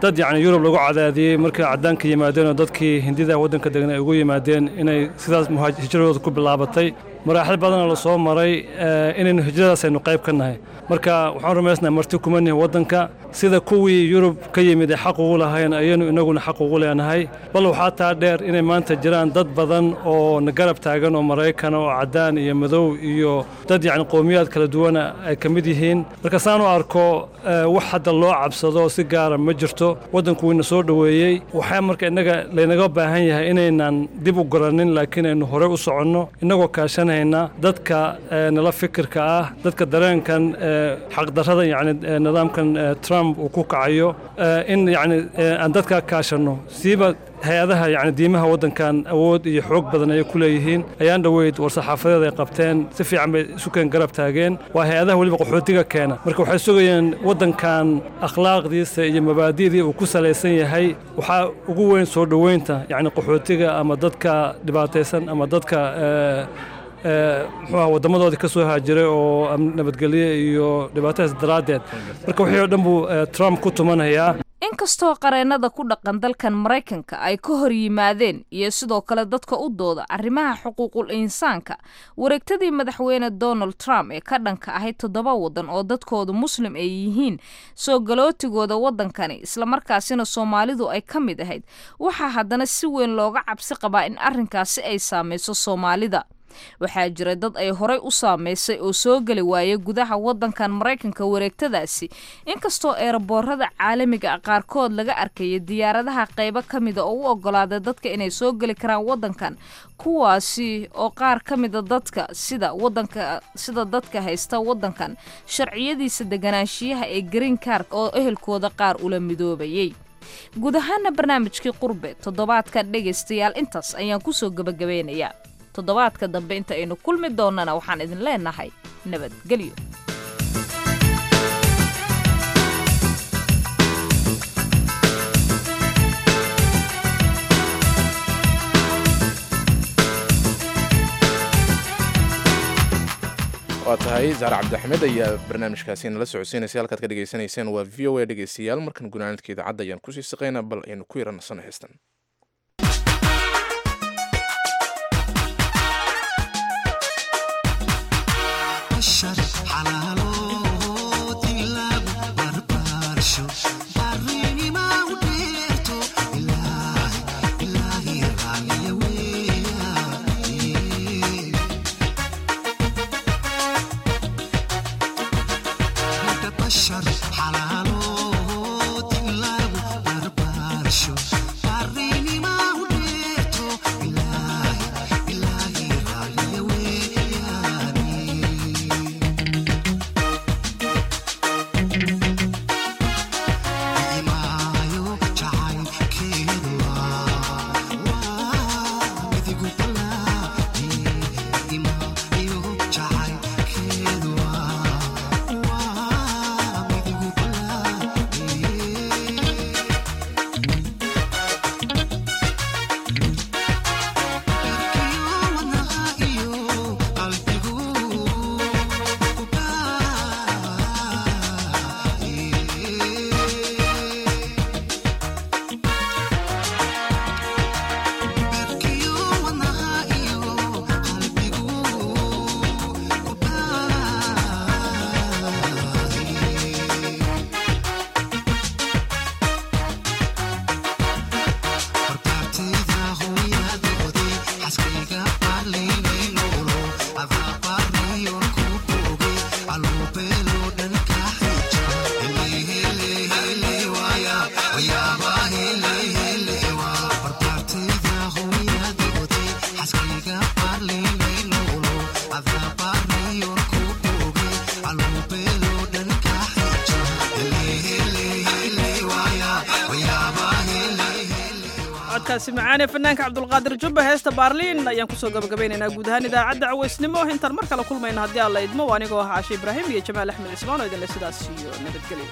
dad, yacni, Yurub lagu cadaadiyey markay caddaanka yimaadeen oo dadkii Hindida waddanka degan ay ugu yimaadeen, inay sidaas hijradooda ku bilaabatay, maraaxil badana la soo maray, inaynu hijradaas aynu qayb ka nahay. Marka waxaan rumaysnahay marti kuma nihin waddanka. Sida kuwii Yurub ka yimid ay xaq ugu lahayn ayaynu inaguna xaq ugu leenahay. Bal waxaa taa dheer inay maanta jiraan dad badan oo na garab taagan oo Maraykana oo caddaan iyo madow iyo dad, yacni, qowmiyaad kala duwana ay ka mid yihiin. Marka saan u arko, wax hadda loo cabsado si gaara ma jirto. Waddanku wayna soo dhoweeyey. Waxaa marka innaga laynaga baahan yahay inaynan dib u guranin, laakiin aynu horey u soconno innagoo kaashanayna dadka nala fikirka ah, dadka dareenkan xaqdarrada, yacni, nidaamkan Trump uu ku kacayo, in, yacni, aan dadkaa kaashanno. Siiba hay-adaha, yacni, diimaha waddankan awood iyo xoog badan ayay ku leeyihiin. Ayaan dhoweyd war-saxaafadeed ay qabteen si fiican bay isu keen garab taageen. Waa hay-adaha weliba qaxootiga keena. Marka waxay sugayeen waddankan akhlaaqdiisa iyo mabaadi'dii uu ku salaysan yahay waxaa ugu weyn soo dhoweynta, yacni, qaxootiga ama dadka dhibaataysan ama dadka muxuu waddamadoodii ka soo haajiray oo nabadgelye iyo dhibaatadaas daraaddeed. Marka wixii oo dhan buu Trump ku tumanayaa. Inkastoo qareennada ku dhaqan dalkan Maraykanka ay ka hor yimaadeen iyo sidoo kale dadka u dooda arrimaha xuquuqul insaanka wareegtadii madaxweyne Donald Trump ee ka dhanka ahayd toddoba waddan oo dadkoodu Muslim ay yihiin soo galootigooda waddankani, islamarkaasina Soomaalidu ay ka mid ahayd, waxaa haddana si weyn looga cabsi qabaa in arrinkaasi ay saameyso Soomaalida. Waxaa jira dad ay horey u saameysay oo soo geli waayay gudaha waddankan Maraykanka wareegtadaasi, inkastoo eeraboorada caalamiga ah qaarkood laga arkayay diyaaradaha qaybo ka mida oo u ogolaaday dadka inay soo geli karaan waddankan, kuwaasi oo qaar ka mida dadka sida wadanka sida dadka haysta waddankan sharciyadiisa deganaanshiyaha ee green card oo ehelkooda qaar ula midoobayay. Guud ahaana barnaamijkii Qurbe toddobaadkan, dhegaystayaal, intaas ayaan kusoo gabagabeynayaa. Toddobaadka dambe inta aynu kulmi doonana waxaan idin leenahay nabadgelyo. Waa tahay, Saare Cabdixmed ayaa barnaamijkaasi nala socodsiinaysa. Halkaad ka dhegeysanayseen waa V O A. Dhegeystayaal, markan gunaanadka idaacadda ayaan kusii siqaynaa. Bal aynu ku yara nasano heestan. Bye. Codkaasi macaane fanaanka Cabdulqaadir Jubba, heesta Baarliin, ayaan kusoo gabagabaynaynaa guud ahaan idaacadda cawaysnimo. Intaan mar kale kulmayna, haddii Alla idmo, anigoo ah Caashe Ibraahim iyo Jamaal Axmed Cismaan oo idinle sidaas iyo nabadgelyo.